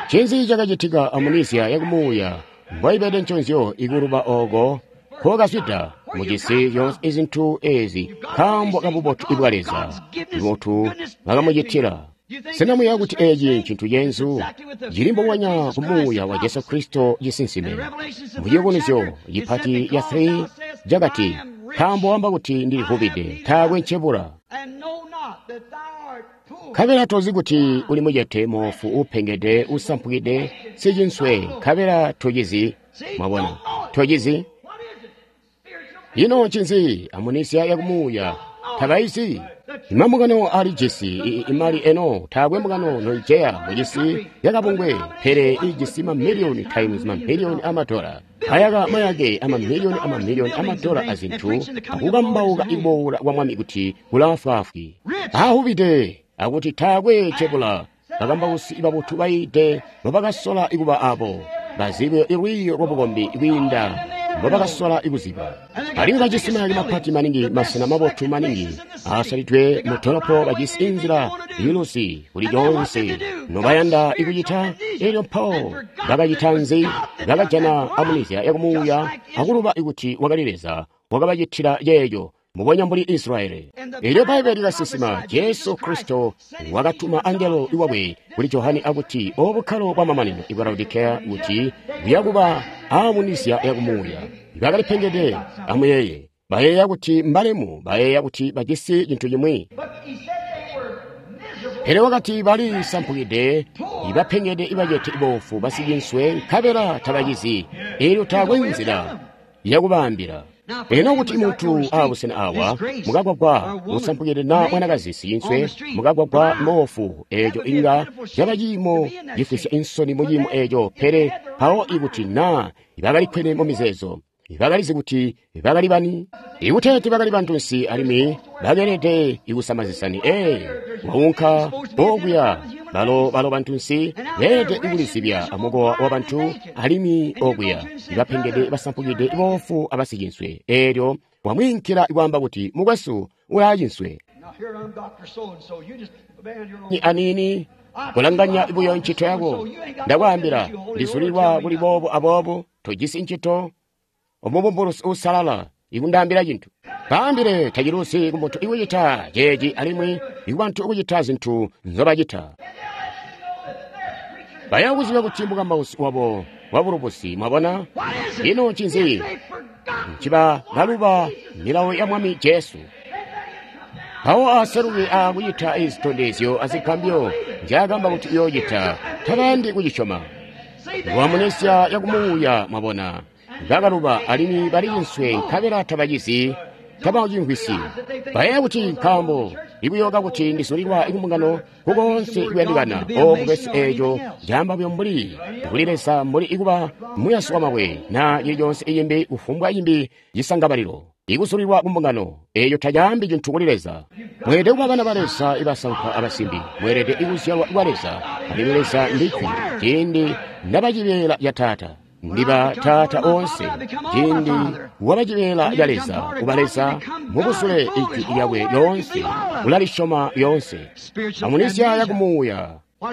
Ncinzi cakacitika? Amunisia yakumuuya mboibede nconzyo ikuluba ooko kokazwida mujisi zyoonse izintu ezi nkaambo kabubotu bwa Leza, bubotu bakamucitila. Sena muyeeya kuti eeci ncintu cenzu cili mbubonya ku muuya wa Jesu Kristo cisinsime? Muciyubunuzyo cipati ya 3 cakati, nkaambo wamba kuti ndilivubide, taakwe ncebula, nkabela tozi kuti uli mucete, moofu, uupengede, usampukide, sicinswe, nkabela tocizi. Mwabona, tocizi. Ino ncinzi? Amunisia yakumuuya tabaizi. Imambungano alijisi imali eno, taakwe mbungano noiceya mujisi yakabungwe, pele ijisi mamiliyoni times mamiliyoni amadola, ayaka mayake amamiliyoni amamiliyoni amadola azintu, akukambauka iboola kwa Mwami kuti kulaafwaafwi, ahubide akuti taakwe cebula. Bakambausi babotu baide mbobakasola ikuba abo bazibe ilwiiyo lwabukombi kwiinda mbobakasola ikuziba. Alimwi bajisi mayake mapati maningi, masena mabotu maningi aasalidwe mu dolopo, bajisi inzila iluzi kuli lyoonse nobayanda ikucita. Elyo mpawo bakacita nzi? Bakajana amunisia yakumuuya akuluba ikuti wakali Leza wakabacitila ceeco, mbubonya mbuli Israeli. Elyo Bbaibbele likasinsima Jesu Kristo wakatuma angelo iwakwe kuli Johane akuti obukkalo bwamamanino ibwa Laodikeya kuti buyakuba amunisia yakumuuya. Bakalipengede. Amuyeeye, bayeeya kuti mbalemu, bayeeya kuti bajisi cintu cimwi. Pele wakati bali sampukide, ibapengede, ibacete, iboofu, basicinswe, nkabela tabacizi. Elyo taakwe nzila yakubaambila. Eno kuti muntu aabusena awa mukagwagwa usampukide na mwanakazi sicinswe mukagwagwa moofu, eeco inga caba ciimo cifwisya insoni mu ciimo eeco. Pele mpawo ikuti na bakalikwene mu mizeezo, bakalizi kuti bakali bani, ikuteeti bakali bantunsi alimwi bakeelede ikusama zisani. Waunka okuya, balo bantunsi beelede ikulizibya amukowa wa bantu, alimwi okuya ibapengede, basampukide, boofu abasicinswe. Eelyo wamwiinkila ikwaamba kuti mukwesu ulaacinswe aniini, kulanganya buyo ncito yako. Ndakwaambila, ndizulilwa kuli boobo aboobo, tojisi ncito. Omubumbulusi uusalala ikundaambila cintu. Baambile taciluzi kumuntu ikucita ceeci alimwi ikubantu ikucita zintu nzobacita. Baya kuziba kuti mukambausi wabo wabulubusi. Mwabona? Ino ncinzi? Nciba baluba milawo ya Mwami Jesu. Mpawo aseluke akucita izitondezyo azigambyo nzyaakamba kuti uyoocita, tabayandi kucisyoma. Lwamunesya yakumuuya, mwabona. Bakaluba alimwi bali cinswe nkabela tabacizi. Taba cimvwisyi. Bayeeya kuti nkaambo ikuyoka kuti ndizulilwa kumbungano kukoonse kuyandikana. O mukwesu, eeco caamba buyo mbuli kuli Leza mbuli ikuba muyasi wamabwe na cili conse icimbi kufumbwa cimbi cisangabalilo. Ikuzulilwa kumbungano eeco tacaambi cintu kuli Leza. Mweelede kuba bana ba Leza ibasankwa abasimbi. Mweelede ikuzyalwa kwa Leza, alimwi Leza ndi Jwi. Ciindi ndaba cibeela ca Taata, ndiba Taata oonse. Ciindi waba cibeela ca Leza, uba Leza mubusule Ijwi lyakwe lyoonse, ulalisyoma lyoonse. Amunisya yakumuuya.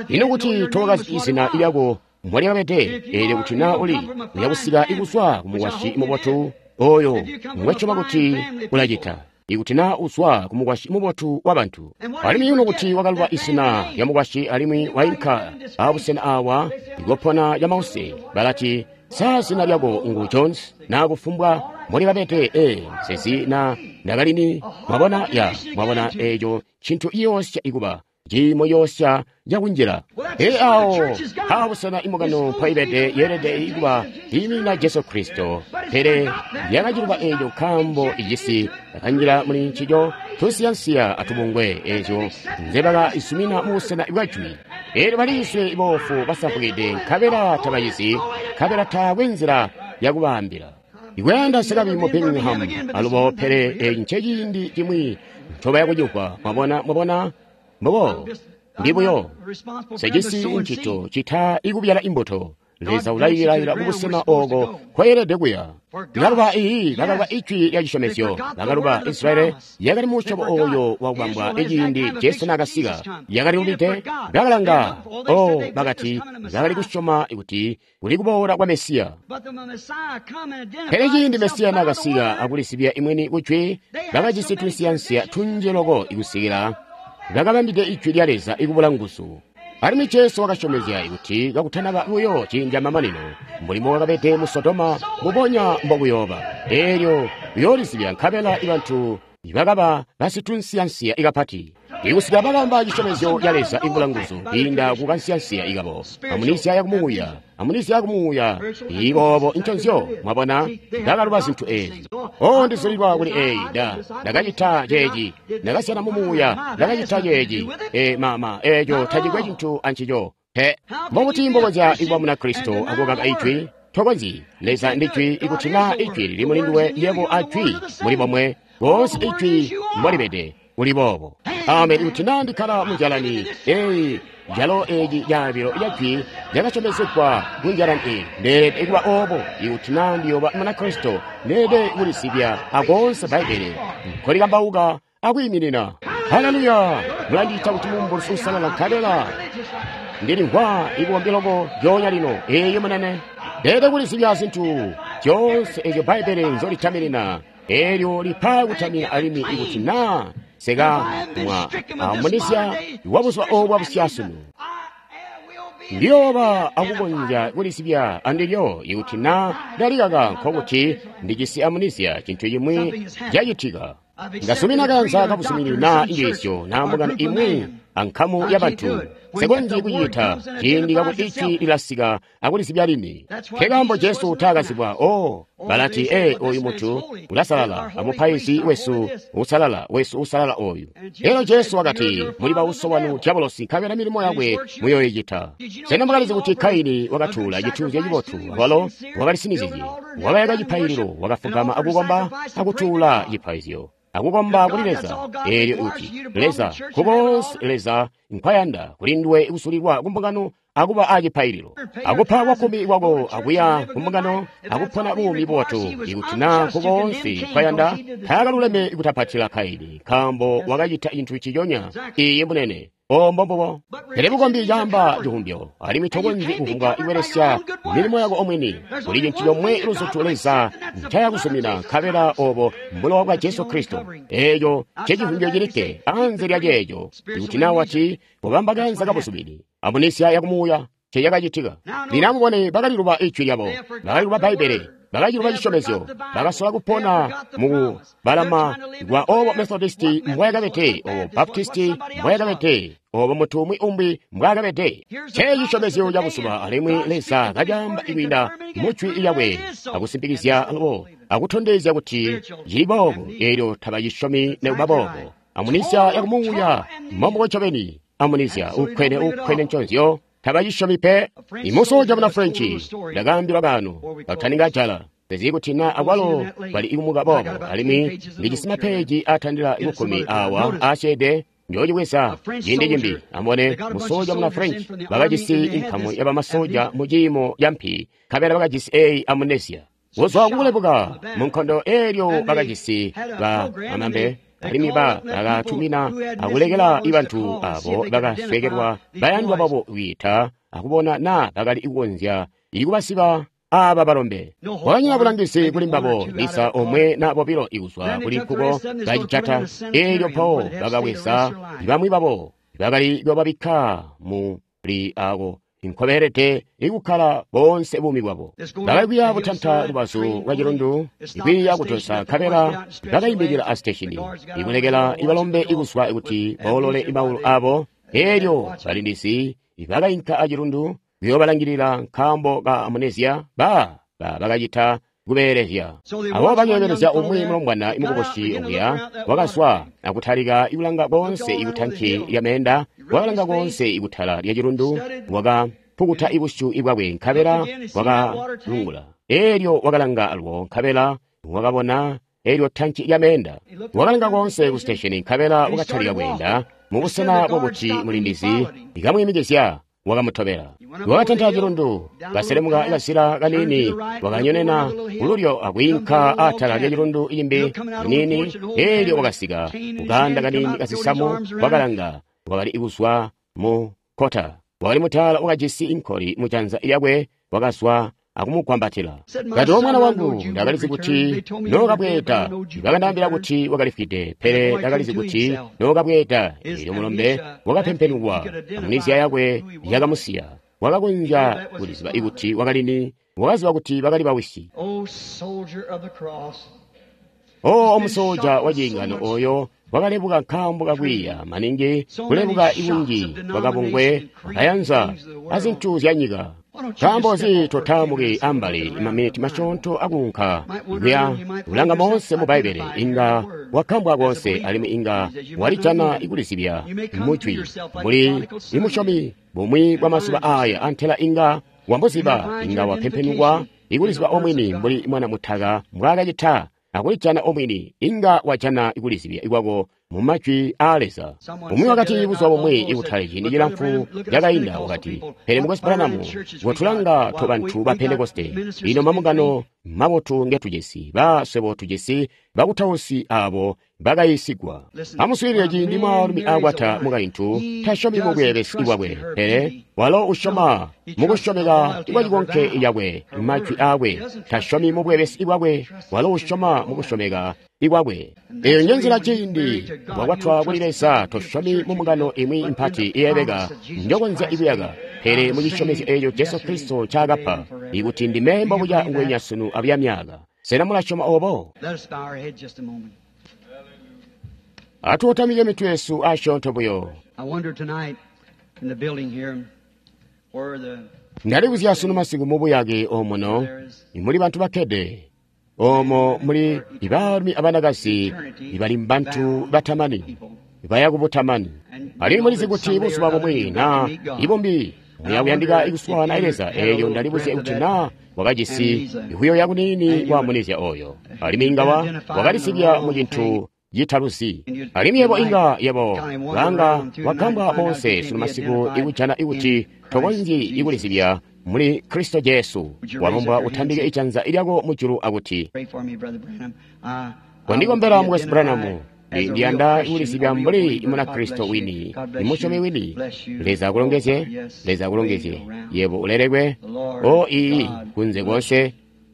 Ino kuti towakazi izina lyako mbolyakabede, eelyo kuti naa uli uyakusika ikuzwa kumukwasyi mubotu oyo ngwesyoma kuti ulacita. Ikuti naa uzwa kumukwasyi mubotu wabantu, alimwi ino kuti wakaluba izina lya mukwasyi alimwi wainka abusena awa ikopona camause, balati sa zina lyako ngu Jones na kufumbwa mbolikabede, nsezi na ndakalini. Mwabona ya mwabona eeco cintu ciyoosya ikuba ciimo yoosya cakunjila. Ee awo abusena imbungano mpaibede yeelede ikuba iiminina Jesu Kristo, pele yakaciluba eeco nkaambo icisi akanjila muli ncico tunsiyansiya atubungwe eeco nzebakaizumina mubusena bwa Jwi. Eelyo baliiswe iboofu basampukide, nkabela tabacizi, nkabela taakwe nzila yakubaambila. Ikuyanda sikabi mu Birmingham alubo, pele eeci nceciindi cimwi ncobaya kucimvwa. Mwabona, mwabona mbobo ndibuyo sejisi ncito cita ikubyala imbuto. Leza ulayilayila kubusena ooko kwayelede kuya. Bakaluba iyi, bakaluba ijwi lya cisyomezyo. Bakaluba Israeli yakali musyobo oyo wakubambwa iciindi Jesu naakasika. Yakali lubide, bakalanga. O bakati bakali kusyoma kuti kuli kuboola kwa Mesiya. Pele ciindi Mesiya naakasika akulisibya imweni kujwi, bakajisi tunsiyansiya tunji loko ikusikila bakabambide ijwi lya Leza ikubula nguzu. Alimwi Jesu wakasyomezya kuti kakutanaba buyo ciindi camamanino, mulimo wakabede mu Sodoma mbubonya mbokuyooba. Eelyo uyoolizibya nkabela ibantu bakaba basitunsiyansiya ikapati ikusika bakamba cisyomezyo ca Leza ikubula nguzu kwiinda kukansiyansiya ikabo. Amunisya yakumuuya, amunisya yakumuuya iboobo nconzyo. Mwabona, ndakaluba zintu eezi. O ndizulilwa kuli eyi, ndakacita ceeci, ndakasyana mumuuya, ndakacita ceeci. Mama, eeco tacikwe cintu ancico. Pe, mbokuti mbokonzya ikuba muna Kristo akukaka ijwi? Tokonzyi. Leza ndi Jwi. Ikuti naa ijwi lili muli nduwe, yebo a Jwi muli bomwe. Boonse ijwi mbolibede kuli boobo. Amen. Ikuti naa ndikkala munjalani eyi, jalo eeci caabilo ca Jwi lyakasyomezegwa kunjalani eyi, ndeelede kuba oobo. Ikuti naa ndiyooba muna Kristo, ndeelede kulisibya akoonse Bbaibbele nkolikambauka akwiiminina. Haleluya! Mulandiita kuti mumbulusi uusalala, nkabela ndilimvwa ibukombi loko lyoonya lino. Eeyi munene, ndeelede kulisibya zintu zyoonse ezyo Bbaibbele nzolitaminina. Eelyo lipa kutamina alimwi ikuti naa seka mwa amunisya wabuzuba oobu bwabusyasunu, ndiyooba akukonzya kulisibya andilyo. Ikuti naa ndalikaka, nkokuti ndijisi amunisya, cintu cimwi cacitika. Ndasumina kanza kabusumini naa injiisyo naa mbungano imwi ankamu yabantu, nsikonzyi kucita ciindi kakuti ijwi lilasika akulisibya lini. Nkekaambo Jesu taakazibwa. O balati, oyu muntu ulasalala, amupaizi wesu usalala, wesu usalala oyu. Elyo Jesu wakati, muli bauso wanu dyabolosi, nkabela milimo yakwe muyoyicita. Sena mwakalizi kuti Kaini wakatuula cituuzyo cibotu, walo wakalisinizizye, wakayaka cipaililo, wakafugama akukomba akutuula cipaizyo, akukomba kuli Leza. Eelyo uti, Leza kukoonse Leza nkwayanda kuli nduwe kusulilwa kumbungano akuba acipaililo, akupa kwakkumi kwako, akuya kumbungano, akupona buumi bubotu. Ikuti naa kukoonse nkwayanda, taakaluleme kutapatila Kaini, nkaambo wakacita cintu ciconya. Iye munene. O mbombubo. Pele bukombi caamba civumbyo, alimwi tokonzyi kuvumbwa kubelesya milimo yako omwini. Kuli cintu comwe luzutu Leza ncayakuzumina, nkabela obo mbulowa bwa Jesu Kristo. Eeco ncecivumbyo cilikke. Anze lya ceeco, ikuti naa wati kubamba kanza kabuzumini, amunisya yakumuuya, ncecakacitika. Lino amubone, bakaliluba ijwi lyabo, bakaliluba Bbaibbele. Bakaciluba cisyomezyo. Bakasola kupona mu kubalama kwa obo Methodisti mbwayakabede, obo Baptisti mbwayakabede, obo muntu umwi umbi mbwaakabede. Nce cisyomezyo ca buzuba, alimwi Leza kacaamba kwiinda mu Jwi lyakwe, akusimpikizya alubo, akutondezya kuti cili boobo, eelyo tabacisyomi nekuba boobo. Amunisia yakumuuya, mombubo ncobeni, amunisia ukkwene ukkwene nconzyo, tabacisyomi pe. Imusoja muna French, ndakaambilwa kaano, kataninga jala. Tezi kuti na akwalo bali ikumuka boobo, alimwi ndijisi mapeji atandila 10 awa asyeede. Njoocibweza ciindi cimbi. Amubone, musoja muna French bakajisi inkamu ya bamasoja mu ciimo ca mpi, nkabela bakajisi eyi amnesia. Kuzwa kukulebuka mu nkondo eelyo bakajisi ba amambe, alimwi bakatumina akulekela bantu abo bakaswekelwa bayandwa babo kwiita akubona na bakali kukonzya ikubasiba aba balombe. Kwakanyina bulangizi kuli mbabo, lisa omwe na bobilo ikuzwa kuli nkuko bacijata, eelyo mpawo bakabweza bamwi babo bakali bababikka muli ako nkobeelede ikukkala boonse buumi bwabo. Bakali kuya butanta lubazu lwa cilundu, ikwiiya kutosa, nkabela bakaimikila a siteshini, ikulekela ibalombe ikuzwa kuti boolole maulu abo. Eelyo balindizi bakainka acilundu kuyoobalangilila nkaambo ka amnesia bakacita kubeelezya. Abo bakeebelezya umwi mulombwana imukubusi okuya wakazwa akutalika ikulanga koonse ikutanki lya meenda, wakalanga koonse ikutala lya cilundu, wakapukuta ibusyu bwakwe nkabela wakalungula. Eelyo wakalanga alwo nkabela wakabona eelyo tanki lya meenda. Wakalanga koonse ku siteshini nkabela wakatalika kweenda mubusena bwakuti mulindizi ikamwiimikizya. Wakamutobela. Wakatanta cilundu, kaselemuka kazila kaniini, wakanyonena kululyo akwiinka atala lya cilundu cimbi kaniini. Eelyo wakasika kukaanda kaniini kazisamu, wakalanga, wakali kuzwa mu kota. Wakali mutala wakajisi inkoli mujanza lyakwe, wakazwa akumugwambatila. Kati, "O mwana wangu, ndakalizi kuti nookabweeda. Bakandaambila kuti wakalifwide, pele ndakalizi kuti nookabweeda." Eelyo mulombe wakapempenukwa, amnesia yakwe yakamusiya. Wakakonzya kuliziba kuti wakali ni, wakaziba kuti bakali bawisi. O omusoja wa ciingano oyo wakalebuka nkaambo kakwiiya maningi, kulebuka ikunji kwakabungwe akayanza azintu zya nyika. Nkaambo nzi totaamuki ambali maminiti masyoonto akuunka kuya kulanga moonse mu Bbaibbele? Inga wakambwa koonse, alimwi inga walijana ikulizibya mujwi mbuli imusyomi bumwi bwa mazuba aaya, antela inga wambuziba, inga wapempenukwa ikuliziba omwini mbuli mwana mutaka mbwaakacita akulijana omwini. Inga wajana ikulizibya ikwako mu majwi aa Leza. Umwi wakati buzuba bumwi ikutali ciindi cilamfu cakainda, wakati, "Pele Mukwesu Branham, kotulanga tobantu ba Pentekoste, ino mambungano mabotu ngetujisi, baswebo tujisi bakutausi abo bakayiisigwa." Amuswiilile, ciindi mwaalumi akwata mukaintu, tasyomi mubweebesi bwakwe, pele walo usyoma mukusyomeka kwa cikonke cakwe, majwi aakwe. Tasyomi mubweebesi bwakwe, walo usyoma mukusyomeka ikwakwe. Eyo njenzila ciindi wakwatwa kuli Leza, tosyomi mumbungano imwi mpati iyebeka njokonzya ikuyaka, pele mucisyomezyo eeco Jesu Kristo ncaakapa, ikuti ndime mbobuca ngwenya sunu abuya myaaka. Sena mulasyoma obo? Atuutamike mitwe yesu asyoonto buyo. Ndalibuzya sunu masiku mubuyake omuno imuli bantu bakkede, omo muli ibaalumi abanakazi ibali mbantu batamani, baya kubutamani. Alimwi mulizi kuti buzuba bumwi na ibumbi muya kuyandika ikuswaana Leza. Eelyo ndalibuzya kuti na wakajisi ikuyoya kuniini kwa amunisia oyo, alimwi inga wakalisibya mu cintu citaluzi. Alimwi yebo inga yebo langa wakambwa moonse sunu masiku ikujana ikuti tokonzyi ikulizibya muli Kristo Jesu. Walombwa utambike ijanza lyako mujulu akuti, "Kondikombela, Mukwesu Branham, ndiyanda kulizibya mbuli muna Kristo wini, imusyomi wini." Leza akulongezye, Leza akulongezye. Yebo ulelekwe. O ii, kunze konse,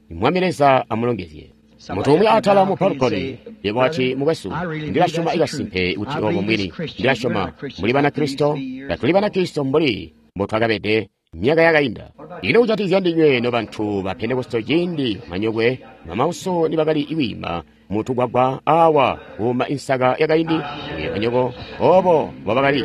Mwami Leza amulongezye. Muntu umwi atala mu balcony, yebo wati, "Mukwesu, ndilasyoma ikasimpe kuti obo mbwini. Ndilasyoma muli Banakristo, tatuli Banakristo mbuli mbotwakabede Myaka yakainda. Ino kujatikizya ndinywe nobantu ba Pentekoste ciindi manyokwe mamauso nibakali kwiima mutugwagwa awa kuuma insaka yakaindi manyoko obo mbobakali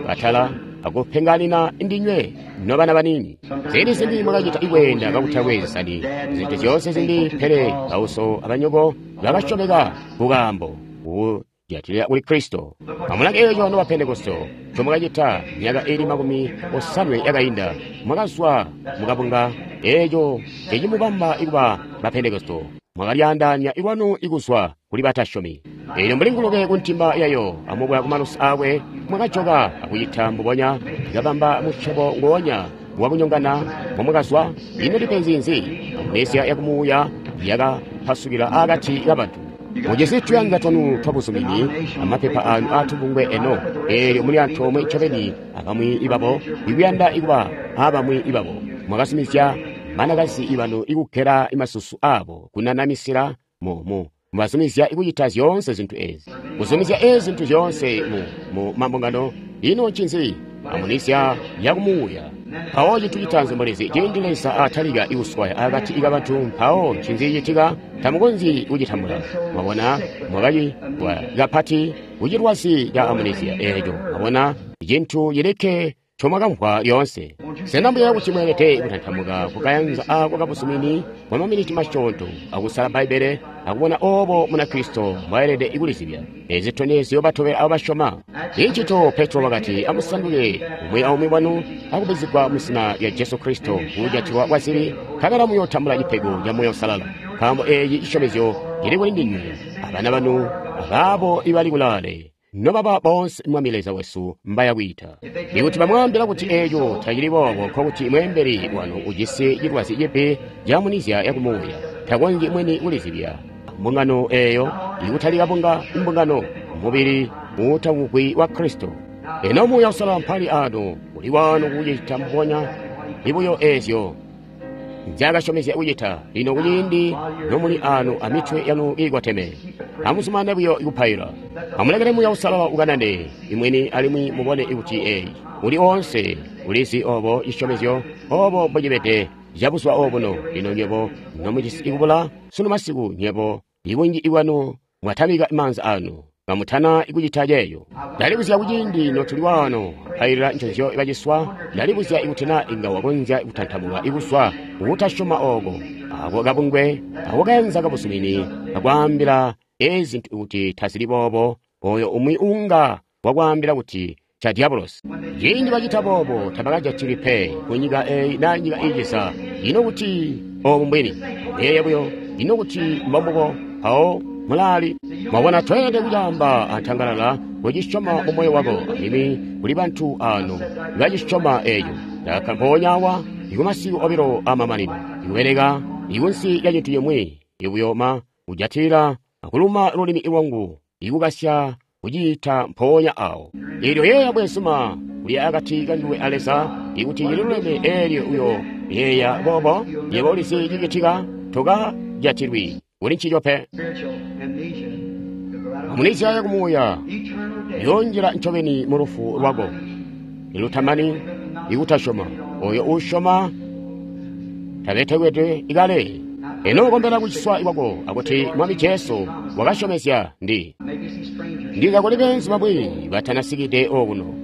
bakatala akupenganina ndinywe nobana banini. Ziindi zimbi mwakacita ikweenda kakutakwe zisani zintu zyoonse zimbi, pele bauso abanyoko bakasyomeka kukaambo kujatilila kuli Kristo. Amulange eeco noba Pentekoste ncomwakacita myaka iili 80 yakainda. Mwakazwa mukabunga eeco ncecimubamba ikuba ba Pentekoste. Mwakalyaandaanya lwanu ikuzwa kuli batasyomi. Eelyo mbuli ngulube kuntimba yayo amubwa kumalusi aakwe, mwakajoka akucita mbubonya, kabamba musyobo ngoonya wakunyongana momwakazwa. Ino lipenzi nzi? Amnesia yakumuuya yakapasukila akati kabantu. Mujisi tuyanza twanu twabuzumini amapepa anu aatubungwe eno, eelyo muli antoomwe ncobeni abamwi ibabo ikuyanda ikuba aabamwi ibabo. Mwakazumizya banakazi ibanu ikugela masusu abo kunanamisila mubazumizya ikucita zyoonse zintu ezi, kuzumizya ezi zintu zyoonse mu mambungano. Ino ncinzi? Amnesia yakumuuya. Mpawo cintu citaanzi mulizi, ciindi Leza atalika ikuswaya akati kabantu, mpawo ncinzi citika? Tamukonzyi kucitambula. Mwabona, mwakacilwa kapati kucilwazi ca amnesia eeco. Mwabona, cintu cilikke ncomwakamvwa lyoonse. Sena mbuya kuti mweelede kutantamuka kukayanza aako kabuzumini bwa maminiti masyoonto akusala Bbaibbele akubona oobo Munakristo mbwaelede kulizibya ezi zitondezyo batobela abo basyoma. Incito Petro wakati, amusanduke umwi aumwi wanu akubbizigwa muzina lya Jesu Kristo kujatilwa kwa zibi, nkabela muyootambula cipego ca Muuya Uusalala, nkaambo eeci cisyomezyo cili kuli ndinywe abana banu abaabo ibali kulaale, nobaba boonse Mwami Leza wesu mbaya kwiita. Ikuti bamwaambila kuti eeco tacili boobo, nkokuti mweembeli wanu ujisi cilwazi cibi ca amnesia yakumuuya. Takonzyi mwini kulizibya mbungano eeyo ikutalika bunga mbungano mubili uutamvwi wa Kristo. Eno Muuya Uusalala mpali ano uli wano kucita mbubonya ibuyo eezyo nzyaakasyomezya kucita. Lino kuciindi nomuli ano amitwe yanu iikoteme, amuzumane buyo kupaila. Amulekele Muuya Uusalala ukanane imwini alimwi mubone kuti eyi uli oonse ulizi obo cisyomezyo obo mbocibede cabuzuba obuno. Lino nywebo nomujisi ikubula sunu masiku, nywebo ibunji ibwanu mwatamika maanza anu kamutana ikucita ceeyo. Ndalibuzya kuciindi notuli wano pailila nconzyo baciswa, ndalibuzya ikuti na inga wakonzya kutantamuka ikuzwa kukutasyoma ooko ako kabungwe ako kayanza kabuzumini kakwaambila ezi zintu kuti tazili boobo, oyo umwi unga wakwaambila kuti ca diabolosi. Ciindi bacita boobo tabakajatili pe kunyika eyi na nyika iiciza. Ino kuti obu mbwini? Yeeya buyo, ino kuti mbombubo? Mpawo mulaali. Mwabona, tweelede kucaamba antangalala kucisyoma mu moyo wako, alimwi kuli bantu ano bacisyoma eeco. Ndakakka mpoonya awa ikumasiku obilo amamanino, ikubeleka ikunsi lya cintu cimwi, ikuyoma kujatilila akuluma lulimi lwangu, ikukasya kuciita mpoonya awo. Eelyo yeeya bwezuma uli akati kanduwe a Leza, ikuti cililuleme eelyo uyo yeeya boobo, yebo ulizi cicitika, tokajatilwi kuli ncico pe. Amnesia yakumuuya yoonjila ncobeni mu lufu lwako ilutamani ikutasyoma. Oyo uusyoma tabetekwedwe ikale. Eno ukombela kuciswa kwako akuti Mwami Jesu wakasyomezya ndi ndiza kuli beenzu bamwi batanasikide okuno.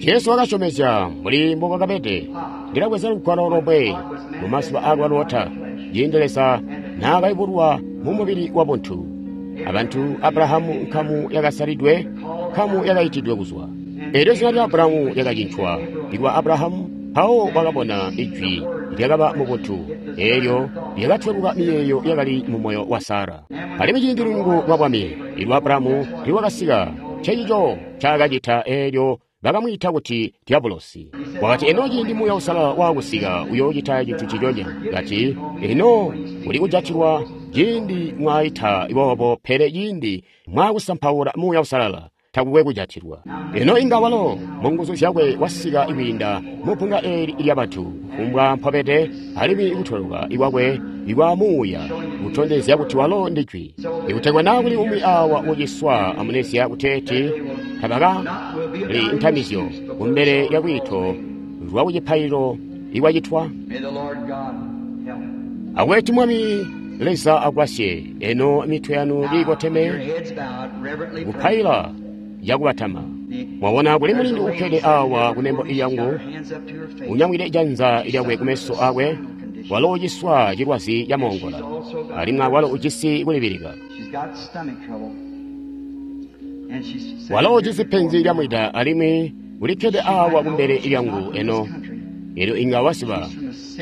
Jesu wakasyomezya mbuli mbobwakabede, ndilabweza lugwalo lomwe mu mazuba aakwa Lota, ciindi Leza naakayubulwa mu mubili wa buntu. Abantu Abrahamu nkamu yakasalidwe, nkamu yakaitidwe kuzwa. Eelyo zina lya Abrahamu lyakacincwa likuba Abrahamu, mpawo wakabona ijwi lyakaba mu buntu, eelyo lyakatweluka miyeeyo yakali mu moyo wa Sara. Alimwi ciindi lunyungu lwa bwami ilwa Abrahamu nilwakasika, ncencico ncaakacita eelyo bakamwiita kuti Diabolosi. Wakati, eno ciindi Muuya Uusalala waakusika uyoocita cintu nciconya. Kati, eno kuli kujatilwa ciindi mwaita boobo, pele ciindi mwaakusampaula Muuya Uusalala takukwe kujatilwa. Eno inga walo mu nguzu zyakwe wasika kwiinda mu bbunga eeli lyabantu kufumbwa mpobede, alimwi kutweluka kwakwe ikwa muuya kutondezya kuti walo ndi Jwi. Ikutegwa naa kuli umwi awa uciswa amnesia kuteeti tabaka li ntamizyo kumbele lya lwiito lwa kucipaililo ikwacitwa? Akweti Mwami Leza agwasye. Eno mitwe yanu kiikoteme kupaila yakubatama. Mwabona kuli mulindi ukkede awa kunembo lyangu, unyamwide janza lyakwe kumeso akwe, walo uciswa cilwazi camoongola, alimwi awalo ujisi kulibilika. Walo ujisi penzi lya mwida, alimwi ulikkede awa kumbele lyangu eno. Elyo inga wasiba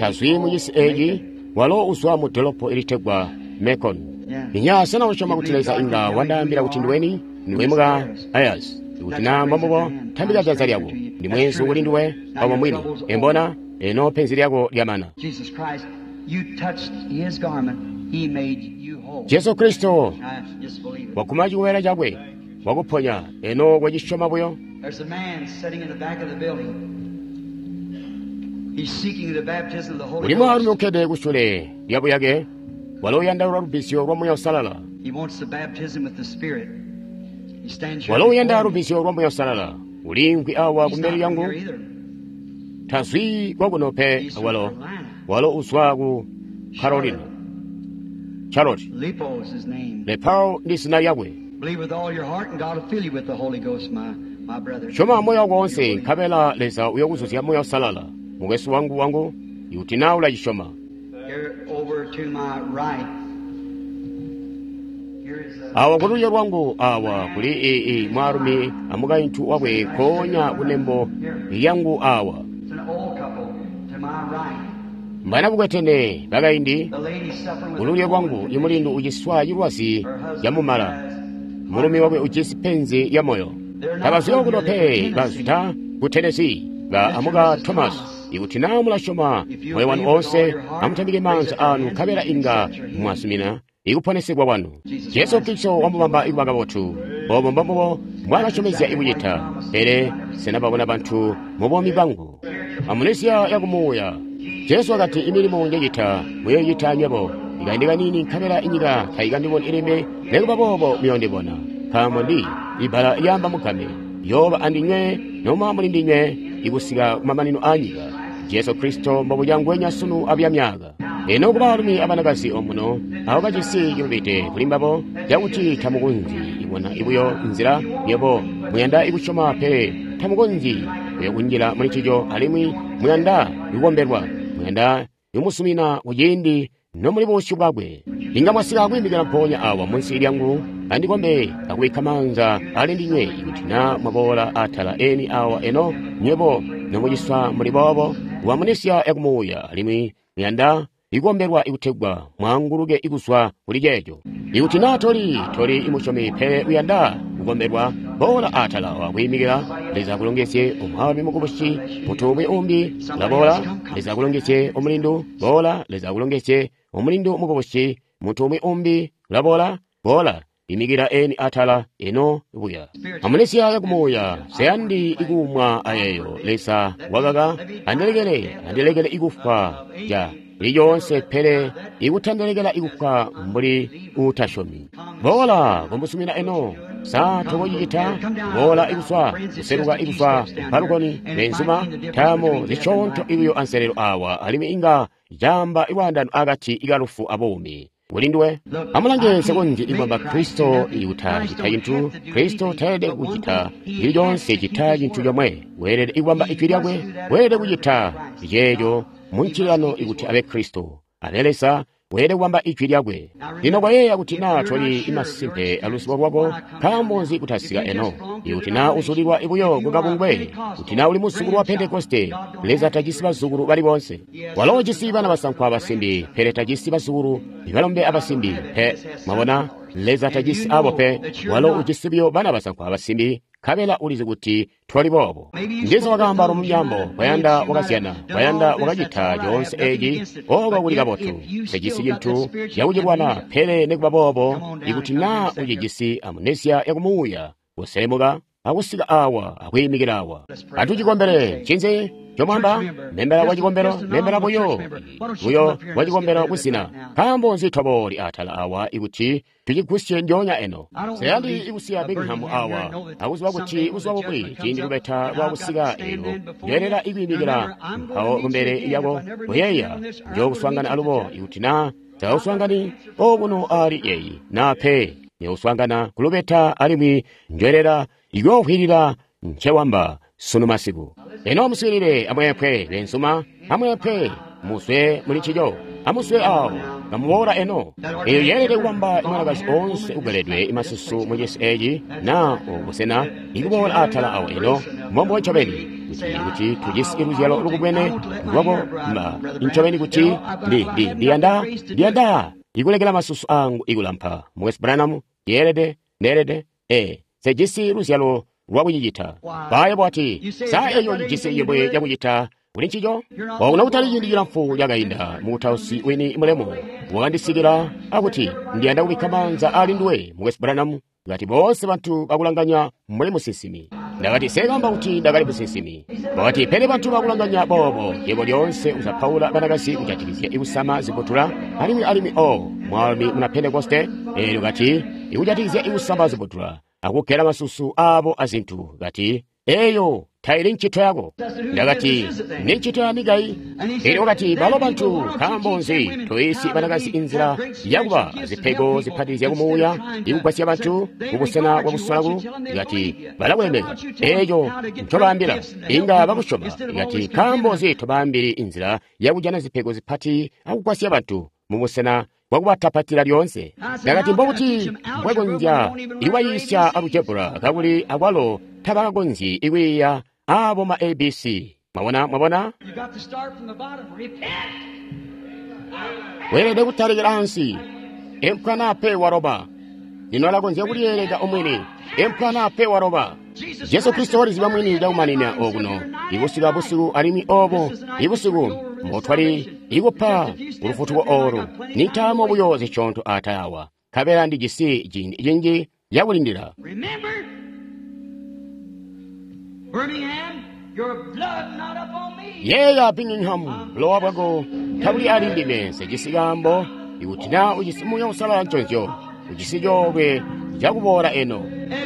tazwi mucisi eeci, walo uzwa mu dolopo ilitegwa Macon. Inya sena usyoma kuti Leza inga wandaambila kuti ndiweni? Ndiwe muka Ayers. Kuti na mbombubo, tambika janza lyako. Ndi mweenzu kuli nduwe, obo mwini. Embona, eno penzi lyako lyamana. Jesu Kristo waguma chiwela chakwe, wakuponya. Eno kwachisyoma buyo. Kuli mwaalumi ukkede kusyule lyabuyake, walo uyandaula lubbizyo lwa Muuya Uusalala. Walo uyanda lubbizyo lwa Muuya Uusalala. Uliimvwi awa kumbele lyangu. Tazwi kwakuno pe walo. Walo uzwa ku Carolina. Charlotte. Lepao ndi zina lyakwe. Syoma moyo wako wonse, nkabela Leza uyokuzuzya Muuya Uusalala. Mukwesu wangu, ikuti naa ulacisyoma. Awa kululyo lwangu awa kuli ii mwaalumi amukaintu wakwe nkoonya kunembo lyangu awa. Mbana bukwetene bakaindi, kululyo lwangu imulindu uciswa cilwazi camumala, mulumi wakwe ujisi penzi lya moyo. Tabazwi okuno pe, bazwida ku Tennessee, ba amuka Thomas. Ikuti naa mulasyoma moyo wanu oonse, amutambike maanza anu nkabela inga mwasumina ikuponesegwa kwanu. Jesu Kristo wamubamba ikuba kabotu. Obo mbombubo mbwaakasyomezya ikucita. Pele sena babona bantu mu buumi bwangu? Amunesiya yakumuuya. Jesu wakati, imilimo njecita muyoicita nywebo. Ikaindi kaniini nkabela inyika taikandiboni ilimbi, nikuba boobo muyondibona. Nkaambo ndi ibbala lyaamba mugame, yooba andinywe noma muli ndinywe ikusika kumamanino aanyika. Jesu Kristo mbobuca ngwenya sunu abuya myaaka. Eno kubaalumi abanakazi omuno abo bajisi cilubide kuli mbabo cakuti tamukonzyi ibona ibuyo nzila nywebo muyanda ikusyoma, pele tamukonzyi buyo kunjila muli ncico, alimwi muyanda ikukombelwa, muyanda imusumina kuciindi nomuli busyu bwakwe. Inga mwasika kwiimikila mpoonya awa munsi lyangu andikombe akubikka maanza ali ndinywe. Ikuti naa mwaboola atala eni awa eno nywebo nomuciswa muli boobo, wamunisya yakumuuya, alimwi muyanda ikukombelwa ikutegwa mwaanguluke ikuzwa kuli ceeco. Ikuti naa toli imusyomi pele uyanda kukombelwa, boola atala wakwiimikila. Leza akulongezye omwaalumi mukubusi, muntu umwi umbi ulaboola. Leza akulongezye omulindu, boola. Leza akulongezye omulindu mukubusi, muntu umwi umbi ulaboola, boola. Imikila eni atala eno buya. Amunesiya yakumuuya, seyandi ikuumwa ayeeyo. Leza wakaka, andilekele ikufwa ja lyoonse, pele ikutandelekela ikufwa mbuli uutasyomi. Boola kumusumina eno. Sa tokocicita? Boola ikuswa, kuseluka ikuswa palukoni, benzuma, taamo zisyoonto ibuyo anselelo awa, alimwi inga caamba ilwaandano akati ikalufu abuumi. Kulinduwe amulange sekonzye ikubamba Kristo ikutacita cintu. Kristo tayelede kucita cili coonse cita cintu comwe. Weelede ikubamba ijwi lyakwe. Weelede kucita ceeco muncilano ikuti abe Kristo, abe Leza. Weelede kubamba ijwi lyakwe. Lino kwayeeya kuti naa toli imasimpe aluzibo lwako, nkaambo nzi kutasika eno? Ikuti naa uzulilwa ibuyo kukabungwe, kuti naa uli muzukulu wa Pentekoste, Leza tajisi bazukulu bali boonse. Walo ujisi bana basankwa abasimbi, pele tajisi bazukulu balombe abasimbi pe. Mwabona, Leza tajisi abo pe. Walo ujisi buyo bana basankwa abasimbi, nkabela ulizi kuti twali boobo. Ndiza wakaamba mumyaambo, kwayanda wakazyana, kwayanda wakacita coonse eeci, oko kuli kabotu. Tejisi cintu cakucilwana, pele nikuba boobo, ikuti naa ucijisi amunesiya yakumuuya, kuselemuka akusika awa akwiimikila awa. Atucikombele ncinzi? Ncomwamba membela wa cikombelo, membela buyo buyo wa cikombelo kuzina. Nkaambo nzi tobooli atala awa ikuti tucigusye njoonya eno? Seyandi ikusiya Birmingham awa akuziba kuti buzuba bumwi ciindi lubeta lwakusika elo njoyelela ikwiimikila mpawo kumbele lyako kuyeeya njookuswaangana alubo ikuti na tauswaangani okuno ali yeyi na pe njokuswaangana kulubeta alimwi njoyelela ikuyoovwiilila ncewamba sunu masiku. Eno muswiilile amweepwe benzuma, amweepwe muzwe muli ncico, amuswe awo kamuboola eno. Eyo yeelede kubamba imwanakazi oonse ugeledwe imasusu mu cisi eci na obusena ikuboola atala awo eno mbombo ncobeni kuti tujisi luzyalo lukubwene lwako mba ncobeni kuti ndiyanda ikulekela masusu angu ikulampa. Mukwesu Branham, yeelede ndeelede sejisi luzyalo lwakucicita. Baye bwati sa eyo cijisi cimwi cakucita kuli ncico? Okuno kutali ciindi cilamfu cakainda mukutausi wini mulemu wakandisikila akuti ndiyanda kubikka maanza ali nduwe Mukwesu Branham. Ngati boonse bantu bakulanganya mbuli musinsimi. Ndakati sekamba kuti ndakali musinsimi. Wakati pele bantu bakulanganya boobo yebo lyoonse uzapaula banakazi kujatikizya ikusama zibutula alimwi o mwaalumi muna Pentekoste eelyo kati ikujatikizya ikusama zibutula akugela masusu abo azintu kati eyo taili ncito yako. Ndakati ni ncito ya mikai. Elyo wakati balo bantu nkaambo nzi toyisi banakazi inzila yakuba zipego zipati zyakumuuya ikugwasya bantu kubusena bwakusolaku. Kati balakulemeka eco ncobaambila inga bakusyoma. Kati nkaambo nzi tobaambili inzila yakujana zipego zipati akugwasya bantu mubusena bwakubatapatila lyoonse. Ndakati mbokuti mbwekonzya ikubayiisya alujebura kakuli akwalo tabakakonzyi ikwiiya abo ma ABC. Mwabona, mwabona? Weelede kutalikila ansi. Empwa nape waroba. Lino alakonzya kulyeeleka omwini. Empwa nape waroba. Jesu Kristo waliziba mwini cakumanina okuno ikusika busiku alimwi obo ibusiku mbotwali ikupa ulufutuko olu nintaamo buyo zisyoonto atayawa nkabela ndijisi ciindi cinji cakulindila. Yeeya Birmingham, bulowa bwako tabuli ali ndime nsejisi kaambo ikuti na ujisi Muuya Uusalala nconzyo ujisi coolwe cakuboola eno.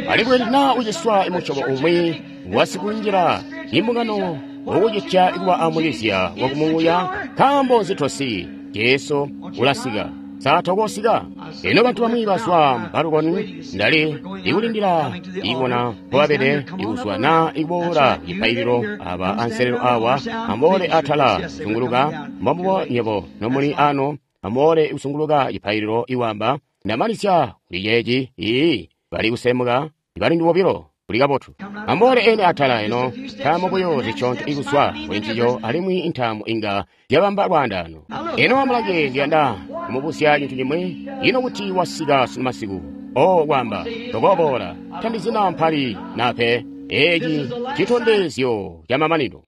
Alimwi kuti na uciswa imusyobo umwi wasikunjila imbungano wokucitya ikuba amulizya wakumuuya nkaambo nzitosi Jesu ulasika. Sa tokosika? Eno bantu bamwi bazwa mbalukoni ndali ikulindila ikubona mpobabede ikuzwa na ikuboola cipaililo aba anselelo awa amboole atala zunguluka mbombubo nyebo nomuli ano amboole kusunguluka cipaililo iwamba ndamalisya kuli ceeci ii bali kusemuka bali bobilo kuli kabotu. Amboole ene atala eno ntaamo buyo zisyoonto ikuzwa kuli ncico alimwi intaamo inga yabamba lwaandaano. Eno amulange ndiyanda kumubuzya cintu cimwi ino kuti wasika sunu masiku o kwamba tokoboola tandizina mpali nape eci citondezyo camamanino.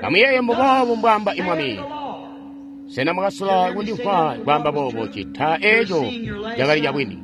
Amuyeeye mbuboobu mbwamba imwami. Sena mwakasula kundimvwa kwaamba boobo cita eco cakali cabwini.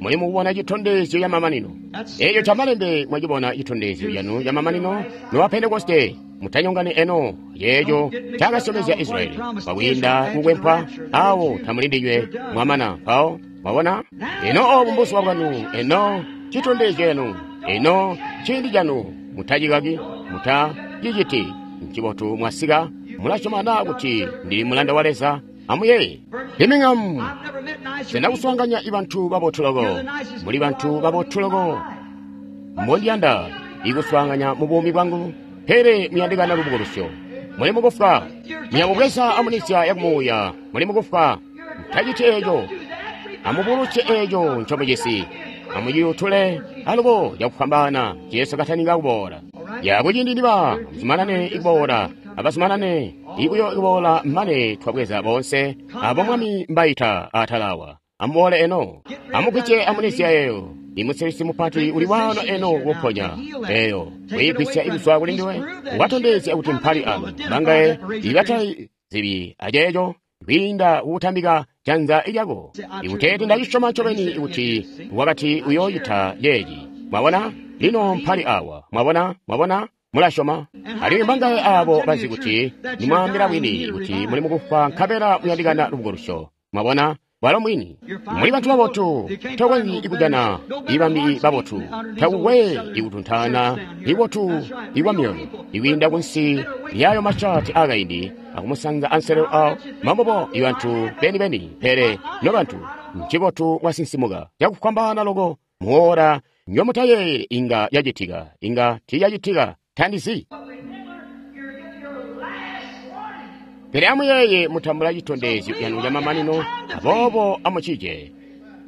Muli mukubona citondezyo camamanino. Eco camalembe mwacibona citondezyo canu camamanino nowa Pentekoste mutanyongani eno yeeco cakasyomezya Israeli kwakwiinda kukwempwa awo tamulindinywe mwamana mpawo mwabona. Eno obu mbuzuba bwanu, eno citondezyo cenu, eno ciindi canu. Mutacikaki, mutaciciti ncibotu mwasika mulasyoma na kuti ndili mulanda wa Leza. Amuyeeye Birmingham, sena kuswaanganya ibantu babotu loko. Muli bantu babotu loko mbondiyanda ikuswaanganya mu buumi bwangu, pele muyandikana lubukulusyo. Muli mukufwa, muyakubweza amunisya yakumuuya. Muli mukufwa, mutaciti eco. Amubulusye eco ncomujisi, amuciyutule alubo cakufwambaana Jesu kataninga kuboola. Yakuciindi niba amuzumanane ikuboola, abazumanane ikuyo ikuboola mane twabweza boonse abo Mwami mbaita atalawa. Amuboole eno, amugwisye amunisya eyo. Imusilisi mupati uli wano eno kuponya eyo kuyigwisya ikuzwa kuli ndiwe watondezya kuti mpali ano bangaye ibatazibi aceeco kwiinda kukutambika janza lyako ikuteeti ndacisyoma ncobeni kuti wakati uyoocita ceeci. Mwabona? Lino mpali awa. Mwabona? Mwabona? Mulasyoma? Alimwi mbangaye abo bazi kuti nimwaambila bwini kuti muli mukufwa nkabela muyandikana lubukulusyo. Mwabona? Bwalo mwini. Muli bantu babotu, tokonzyi kujana ibambi babotu, takukwe ikutuntana ibotu ikwa myoyo, ikwiinda kunsi lyayo mashati akaindi akumusanza anselelo awo mambobo ibantu beni-beni, pele nobantu ncibotu mwasinsimuka cakufwambaana loko muora nyomutayeeye inga yacitika, inga tiiyacitika, tandizi. Pele amuyeeye mutambula citondezyo canu camamanino, aboobo amucije.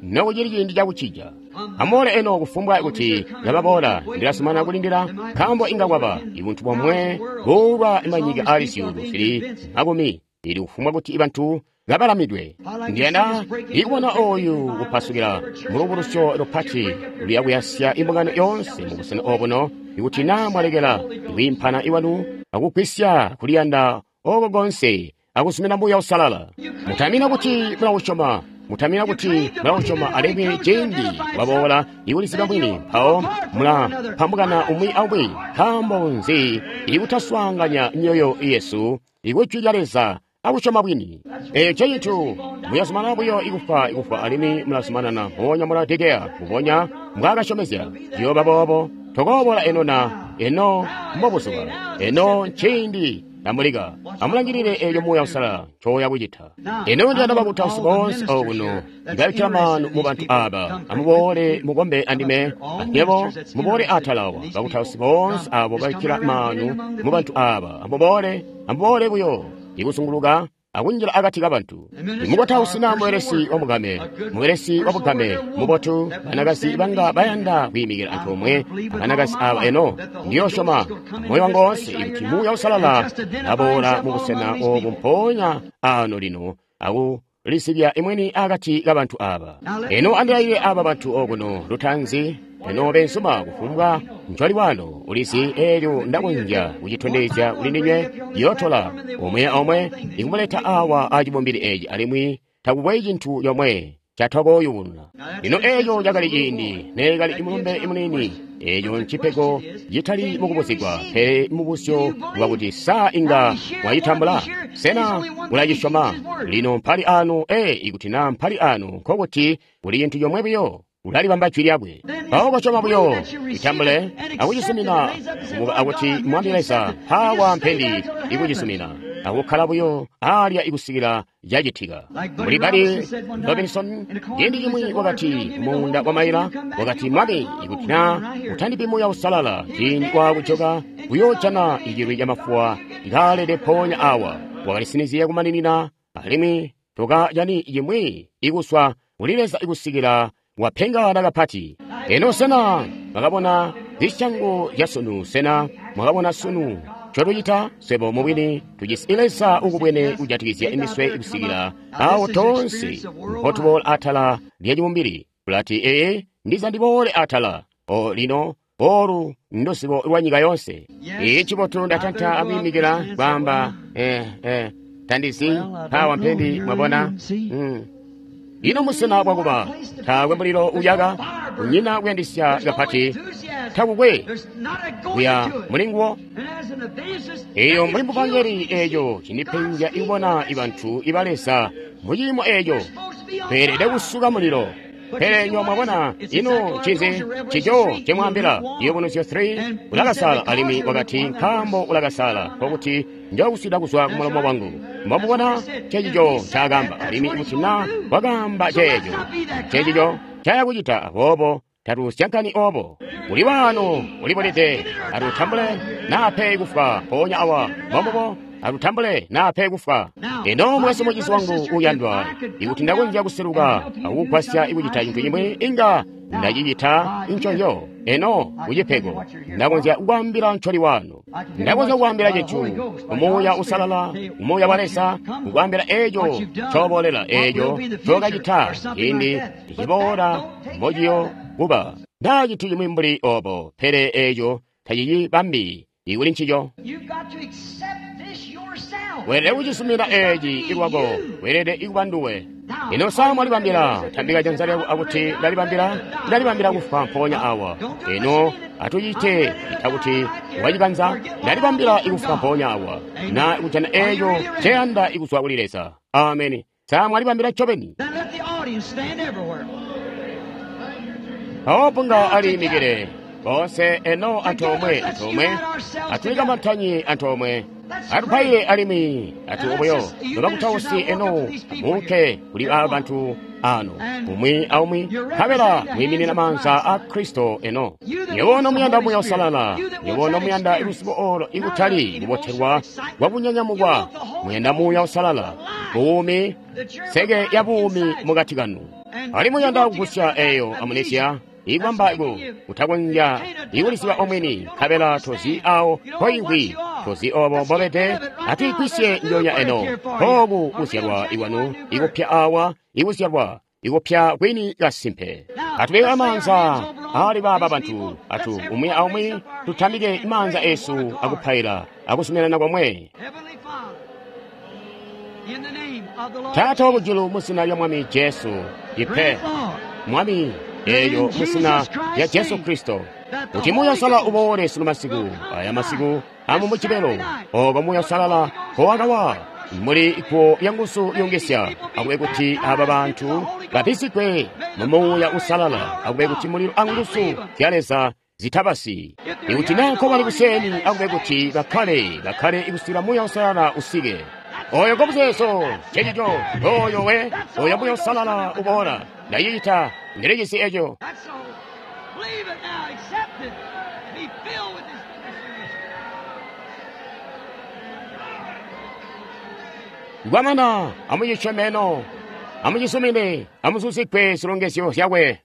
Nokucili ciindi cakucija. Amuboole eno kufumbwa kuti yababoola, ndilasumana kulindila, nkaambo inga kwaba ibuntu bomwe buulwa manyika aali zyuulu zili makumi, ili kufumbwa kuti bantu kabalamidwe. Ndiyanda ikubona oyu kupasukila mulubulusyo lupati luya kuyasya imbungano yoonse mubusena obuno, ikuti naa mwalekela ikwiimpana iwanu akugwisya kuliyanda oko konse akusumina Muuya Uusalala. Mutamina kuti mulausyoma, mutamina kuti mulausyoma alimwi ciindi waboola ikuliziba mwini, mpawo mulapambukana umwi aumwi. Nkaambo nzi ikutaswaanganya myoyo yesu ikujwi lya Leza akusyoma bwini? Eeco ncecintu muyazumanana buyo ikufwa ikufwa alimwi mulazumanana mpoonya muladekeya mbubonya mbwaakasyomezya. Ciyooba boobo. Tokoobola eno na eno mbobuzuba eno nciindi Amulika, amulangilile eelyo Muuya Uusalala ncoya kucita. Eno ndiyanda bakutausi boonse okuno ndabikkila maanu mu bantu aaba. Amuboole mukombe andime, anywebo muboole atala awa. Bakutausi boonse abo babikkila maanu mu bantu aaba. Amuboole, amuboole buyo ikuzunguluka akunjila akati kabantu. Imukutausi naa mubelesi wamugame, mubelesi wabugame mubotu, banakazi banga bayanda kwiimikila antoomwe abanakazi aaba eno. Ndiyoosyoma moyo wangu woonse kuti Muuya Uusalala aboola mubusena obu mpoonya ano lino akulisibya imweni akati kabantu aaba. Eno andilaile aaba bantu okuno lutanzi. Eno bensuma kufumbwa ncoli wano ulizi eelyo ndakonzya kucitondezya kuli ndinywe yootola omwe omwe ikumuleta awa acibumbili eeci alimwi takukwe cintu comwe catokooyubununa. Lino eeco cakali ciindi neekali imulumbe imuniini. Eeco ncipego citali mukubuzigwa, pele mubuzyo bwakuti saa inga mwacitambula? Sena ulacisyoma? Lino mpali anu, ikuti naa mpali anu, nkokuti kuli cintu comwe buyo. Ulalibamba jwi lyakwe. Mpawo kosyoma buyo, itambule akucisumina, akuti Mwami Leza mpaawa mpendi ikucisumina, akukkala buyo alya ikusikila cacitika. Mbuli Buddy Robinson ciindi cimwi wakati muunda wa maila, wakati Mwami, ikuti naa utandipi Muuya Uusalala ciindi waakujoka kuyoojana icilwi camafuwa kaalede mpoonya awa. Wakalisinizya kumaninina alimwi tokajani cimwi ikuswa kuli Leza ikusikila wapengana kapati. Eno sena mwakabona zisyango zya sunu? Sena mwakabona sunu ncotucita? Swebo mubwini tujisi Leza ukubwene kujatikizya imiswe ikusikila awo tonse mpotuboola atala lya cibumbili. Tulati ee ndiza ndiboole atala. O lino olu nduzibo lwa nyika yonse. Ee ncibotu ndatanta akwiimikila kwaamba tandizi mpawa mpendi mwabona. Ino musena bwakuba taakwe mulilo uyaka, kunyina kuyandisya kapati, takukwe kuya mulinguwo. Eyo mbuli muvangeli eeco cindipenja ikubona ibantu iba Leza muciimo eeco tweelede kusuka mulilo. Pele nywa mwabona ino ncinzi cico cimwaambila Ciyubunuzyo 3 ulakasala alimwi wakati nkaambo ulakasala nkokuti njokuswida kuzwa kumulomo wangu. Mwamubona cecico ncaakamba alimwi kuti na wakaamba ceeco cecico ncaya kucita aboobo tatusyankani obo. Uli waano ulibulide atutambule naa pe kufwa mpoonya awa mwambubo atutambule naa pe kufwa. Eno mwesu mucizi wangu uyandwa, ikuti ndakonzya kuseluka akukugwasya ikucita cintu cimwi inga ndacicita nconzyo. Eno kucipego ndakonzya kukwaambila ncoli wano, ndakonzya kukwaambila cintu Umuuya Usalala, Umuuya wa Leza kukwaambila eeco ncoboolela, eeco ncokacita ciindi ciboola mbociyo kuba nda cintu cimwi mbuli obo, pele eeco tacicibambi ikuli ncico. Weelede kucisumina eeci ilwako, weelede ikuba nduwe. Ino sa mwalibambila? Tambika janza lyako akuti ndalibambila, ndalibambila kufwa mpoonya awa. Ino atucite ita kuti wacikanza, ndalibambila ikufwa mpoonya awa, na kujana eeyo nceyanda ikuzwa kuli Leza. Ameni. Sa mwalibambila ncobeni? Mpawo punga aliimikile boonse eno antoomwe, antoomwe atulikamantanye antoomwe, atupaile alimwi atu obuyo nobakutausi eno amuunke kuli aba bantu ano umwi aumwi, nkabela mwiiminina maanza a Kristo eno. Nywebo nomuyanda Muuya Uusalala, nywebo nomuyanda luzibo olo ikutali kubotelwa kwakunyanyamukwa, muyanda Muuya Uusalala, buumi, seke ya buumi mukati kanu. Alimwi muyanda kugusya eyo amunesya ikwamba ku utakonzya ikulisiba omwini, nkabela tozi awo mpoimvwi, tozi obo mbobede. Atuigwisye njonya eno kooku kuzyalwa ikwanu ikupya awa, ikuzyalwa ikupya kwini kasimpe. Atubike amaanza ali baaba bantu, atu umwi aumwi tutambike maanza esu akupaila akuzuminana komwe. Taata wakujulu, mu zina lya Mwami Jesu, ipe Mwami eyo mu zina lya Jesu Kristo, kuti Muuya Uusalala uboole sunu masiku, aya masiku amu Mujibelo, oko Muuya Uusalala nkowakawa muli iguwo lya nguzu lyongesya, akube kuti aba bantu babisigwe mu Muuya Uusalala, akube kuti mulilo a nguzu zya Leza zitabasi. Ikuti naa nkobali kuseni, akube kuti bakkale, bakkale ikusila Muuya Uusalala usike. Oyo ngomuzeezo, cecico, oyo we, oyo Muuya Uusalala uboola. Ndacicita, ndilijisi eco. Kwamana, amucisyome eno, amucisumine, amuzuzikwe zilongezyo zyakwe.